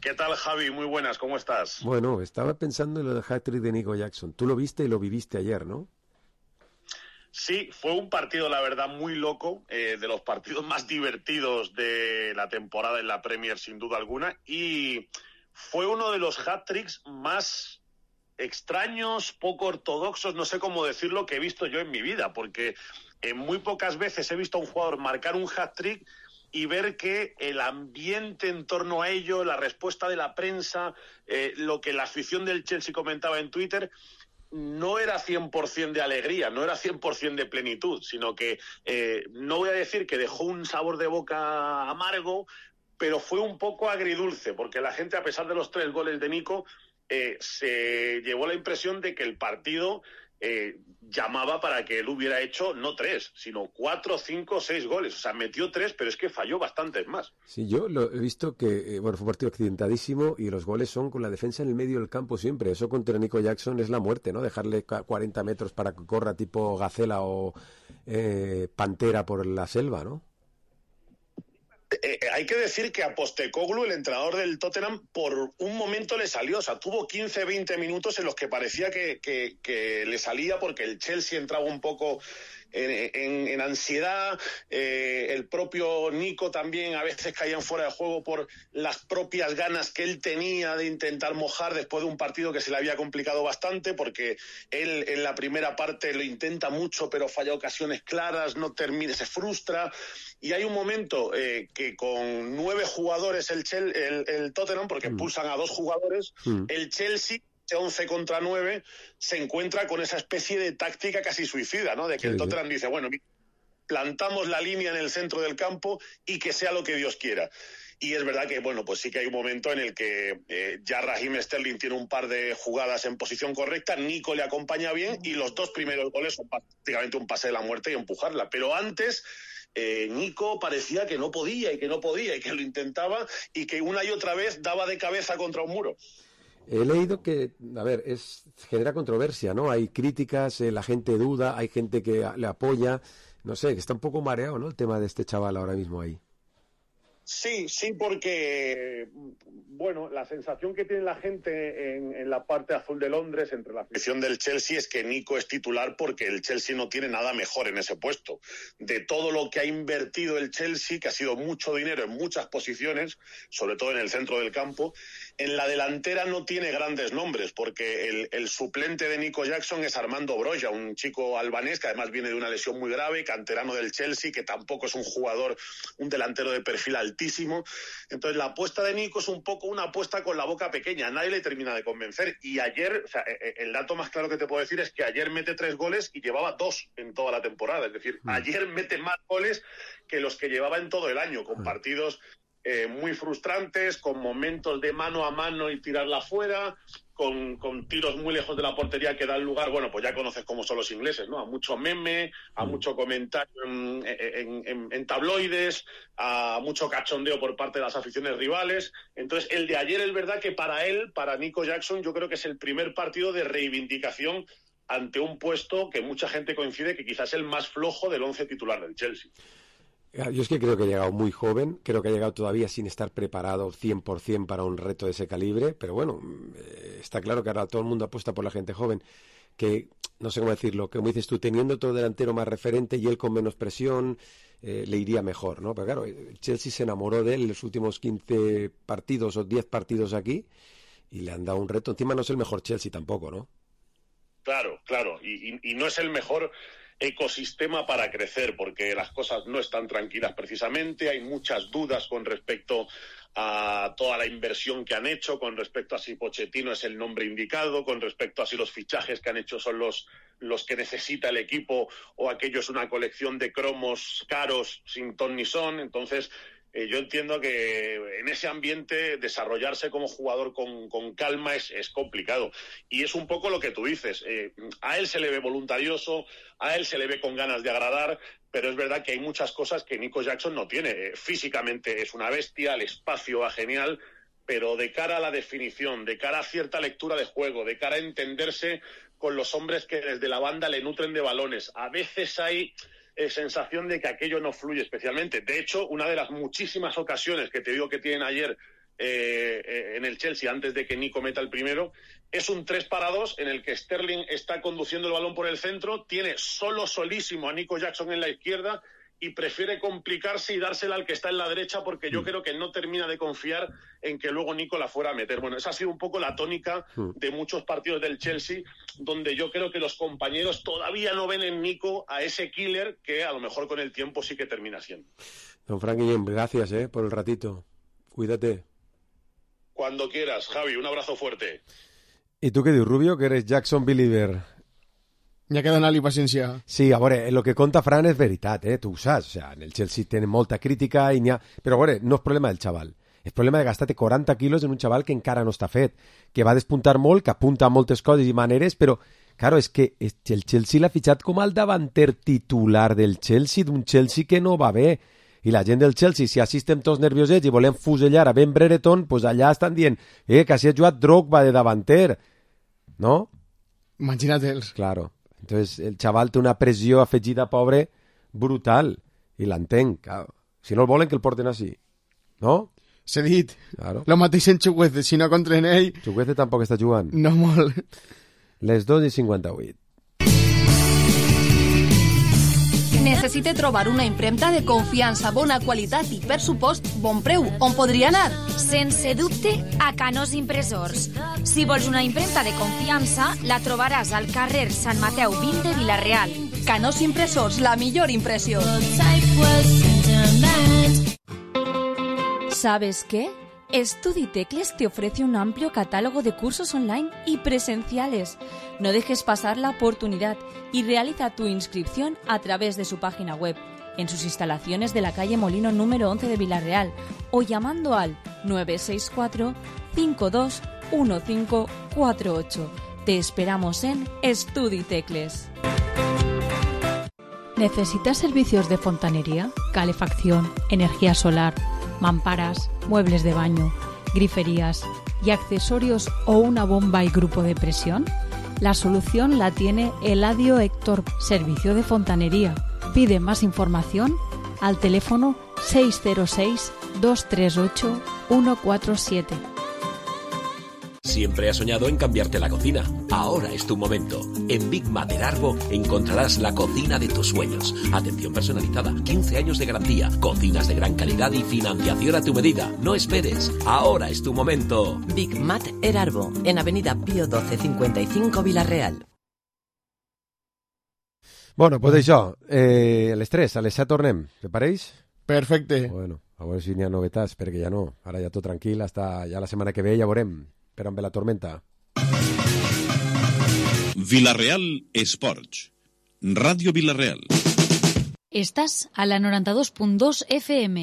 ¿Qué tal, Javi? Muy buenas, ¿cómo estás? Bueno, estaba pensando en lo del hat-trick de Nico Jackson. Tú lo viste y lo viviste ayer, ¿no? Sí, fue un partido, la verdad, muy loco, de los partidos más divertidos de la temporada en la Premier, sin duda alguna, y fue uno de los hat-tricks más extraños, poco ortodoxos, no sé cómo decirlo, que he visto yo en mi vida, porque muy pocas veces he visto a un jugador marcar un hat-trick y ver que el ambiente en torno a ello, la respuesta de la prensa, lo que la afición del Chelsea comentaba en Twitter, no era 100% de alegría, no era 100% de plenitud, sino que no voy a decir que dejó un sabor de boca amargo, pero fue un poco agridulce, porque la gente, a pesar de los 3 goles de Nico, se llevó la impresión de que el partido llamaba para que él hubiera hecho no 3, sino 4, 5, 6 goles. O sea, metió 3, pero es que falló bastantes más. Sí, yo lo he visto que, fue un partido accidentadísimo y los goles son con la defensa en el medio del campo siempre. Eso contra Nico Jackson es la muerte, ¿no? Dejarle 40 metros para que corra tipo gacela o pantera por la selva, ¿no? Hay que decir que a Postecoglou, el entrenador del Tottenham, por un momento le salió. O sea, tuvo 15-20 minutos en los que parecía que le salía, porque el Chelsea entraba un poco en ansiedad. El propio Nico también a veces caía fuera de juego por las propias ganas que él tenía de intentar mojar después de un partido que se le había complicado bastante, porque él en la primera parte lo intenta mucho pero falla ocasiones claras, no termina, se frustra. Y hay un momento que con 9 jugadores el Tottenham, porque pulsan a 2 jugadores, el Chelsea, 11 contra 9, se encuentra con esa especie de táctica casi suicida, ¿no? De que el Tottenham dice, bueno, plantamos la línea en el centro del campo y que sea lo que Dios quiera. Y es verdad que, bueno, pues sí que hay un momento en el que ya Raheem Sterling tiene un par de jugadas en posición correcta, Nico le acompaña bien y los 2 primeros goles son prácticamente un pase de la muerte y empujarla. Pero antes Nico parecía que no podía y que lo intentaba y que una y otra vez daba de cabeza contra un muro. He leído que, a ver, genera controversia, ¿no? Hay críticas, la gente duda, hay gente que le apoya, no sé, que está un poco mareado, ¿no? El tema de este chaval ahora mismo ahí. Sí, porque, bueno, la sensación que tiene la gente en la parte azul de Londres, entre la afición del Chelsea, es que Nico es titular porque el Chelsea no tiene nada mejor en ese puesto. De todo lo que ha invertido el Chelsea, que ha sido mucho dinero en muchas posiciones, sobre todo en el centro del campo, en la delantera no tiene grandes nombres, porque el suplente de Nico Jackson es Armando Broja, un chico albanés que además viene de una lesión muy grave, canterano del Chelsea, que tampoco es un jugador, un delantero de perfil altísimo. Entonces la apuesta de Nico es un poco una apuesta con la boca pequeña, nadie le termina de convencer. Y ayer, o sea, el dato más claro que te puedo decir es que ayer mete 3 goles y llevaba 2 en toda la temporada. Es decir, ayer mete más goles que los que llevaba en todo el año, con partidos muy frustrantes, con momentos de mano a mano y tirarla fuera, con tiros muy lejos de la portería que dan lugar, bueno, pues ya conoces cómo son los ingleses, ¿no? A mucho meme, a mucho comentario en tabloides, a mucho cachondeo por parte de las aficiones rivales. Entonces, el de ayer es verdad que para Nico Jackson, yo creo que es el primer partido de reivindicación ante un puesto que mucha gente coincide que quizás es el más flojo del 11 titular del Chelsea. Yo es que creo que ha llegado muy joven, creo que ha llegado todavía sin estar preparado 100% para un reto de ese calibre, pero bueno, está claro que ahora todo el mundo apuesta por la gente joven, que, no sé cómo decirlo, que como dices tú, teniendo otro delantero más referente y él con menos presión, le iría mejor, ¿no? Pero claro, el Chelsea se enamoró de él en los últimos 15 partidos o 10 partidos aquí y le han dado un reto. Encima no es el mejor Chelsea tampoco, ¿no? Claro, y no es el mejor ecosistema para crecer, porque las cosas no están tranquilas precisamente, hay muchas dudas con respecto a toda la inversión que han hecho, con respecto a si Pochettino es el nombre indicado, con respecto a si los fichajes que han hecho son los que necesita el equipo o aquello es una colección de cromos caros sin ton ni son. Entonces yo entiendo que en ese ambiente desarrollarse como jugador con calma es complicado. Y es un poco lo que tú dices. A él se le ve voluntarioso, a él se le ve con ganas de agradar, pero es verdad que hay muchas cosas que Nico Jackson no tiene. Físicamente es una bestia, el espacio va genial, pero de cara a la definición, de cara a cierta lectura de juego, de cara a entenderse con los hombres que desde la banda le nutren de balones, a veces hay sensación de que aquello no fluye especialmente. De hecho, una de las muchísimas ocasiones que te digo que tienen ayer en el Chelsea, antes de que Nico meta el primero, es un 3-2 en el que Sterling está conduciendo el balón por el centro, tiene solísimo a Nico Jackson en la izquierda y prefiere complicarse y dársela al que está en la derecha, porque yo creo que no termina de confiar en que luego Nico la fuera a meter. Bueno, esa ha sido un poco la tónica de muchos partidos del Chelsea, donde yo creo que los compañeros todavía no ven en Nico a ese killer que a lo mejor con el tiempo sí que termina siendo. Don Frank Guillem, gracias por el ratito. Cuídate. Cuando quieras, Javi, un abrazo fuerte. ¿Y tú qué dices, Rubio, que eres Jackson believer? Ja queda anar-li paciència. Sí, a veure, el que conta Fran és veritat, tu ho saps. O sea, en el Chelsea tenen molta crítica i n'hi ha... Però a veure, no és problema del xaval. És problema de gastar-te 40 quilos en un xaval que encara no està fet, que va despuntar molt, que apunta a moltes coses i maneres, però, claro, és que el Chelsea l'ha fitxat com el davanter titular del Chelsea, d'un Chelsea que no va bé. I la gent del Chelsea, si així estem tots nerviosets i volem fusellar a Ben Brereton, pues allà estan dient que així ha jugat Drogba de davanter, no? Imagínatel's. Claro. Entonces el xaval té una pressió afegida, pobre, brutal. I l'entenc. Claro. Si no el volen, que el porten així. No? S'ha dit. Claro. Lo mateix en Chukwueze, si no contra ell... Chukwueze tampoc està jugant. No molt. Les 2:58. Necessite trobar una impremta de confiança, bona qualitat i, per supost, bon preu. On podria anar? Sense dubte, a Canós Impressors. Si vols una impremta de confiança, la trobaràs al carrer Sant Mateu 20 de Vila-real. Canós Impressors, la millor impressió. ¿Sabes qué? StudiTecles te ofrece un amplio catálogo de cursos online y presenciales. No dejes pasar la oportunidad y realiza tu inscripción a través de su página web, en sus instalaciones de la calle Molino número 11 de Vila-real o llamando al 964 521548. Te esperamos en StudiTecles. ¿Necesitas servicios de fontanería, calefacción, energía solar, mamparas, muebles de baño, griferías y accesorios o una bomba y grupo de presión? La solución la tiene Eladio Héctor, servicio de fontanería. Pide más información al teléfono 606 238 147. Siempre has soñado en cambiarte la cocina. Ahora es tu momento. En Big Mater Arbo encontrarás la cocina de tus sueños. Atención personalizada, 15 años de garantía, cocinas de gran calidad y financiación a tu medida. No esperes. Ahora es tu momento. Big Mater Arbo, en Avenida Pío 12 55 Vila-real. Bueno, pues això, a les 3, a les 7 tornem. Te pareix? Perfecte. Bueno, a veure si n'hi ha novetats, perquè ja no. Ara ja tot tranquil, hasta ja la setmana que ve ja veurem. Però amb la tormenta. Vila-real Esports. Ràdio Vila-real. Estás a la 92.2 FM.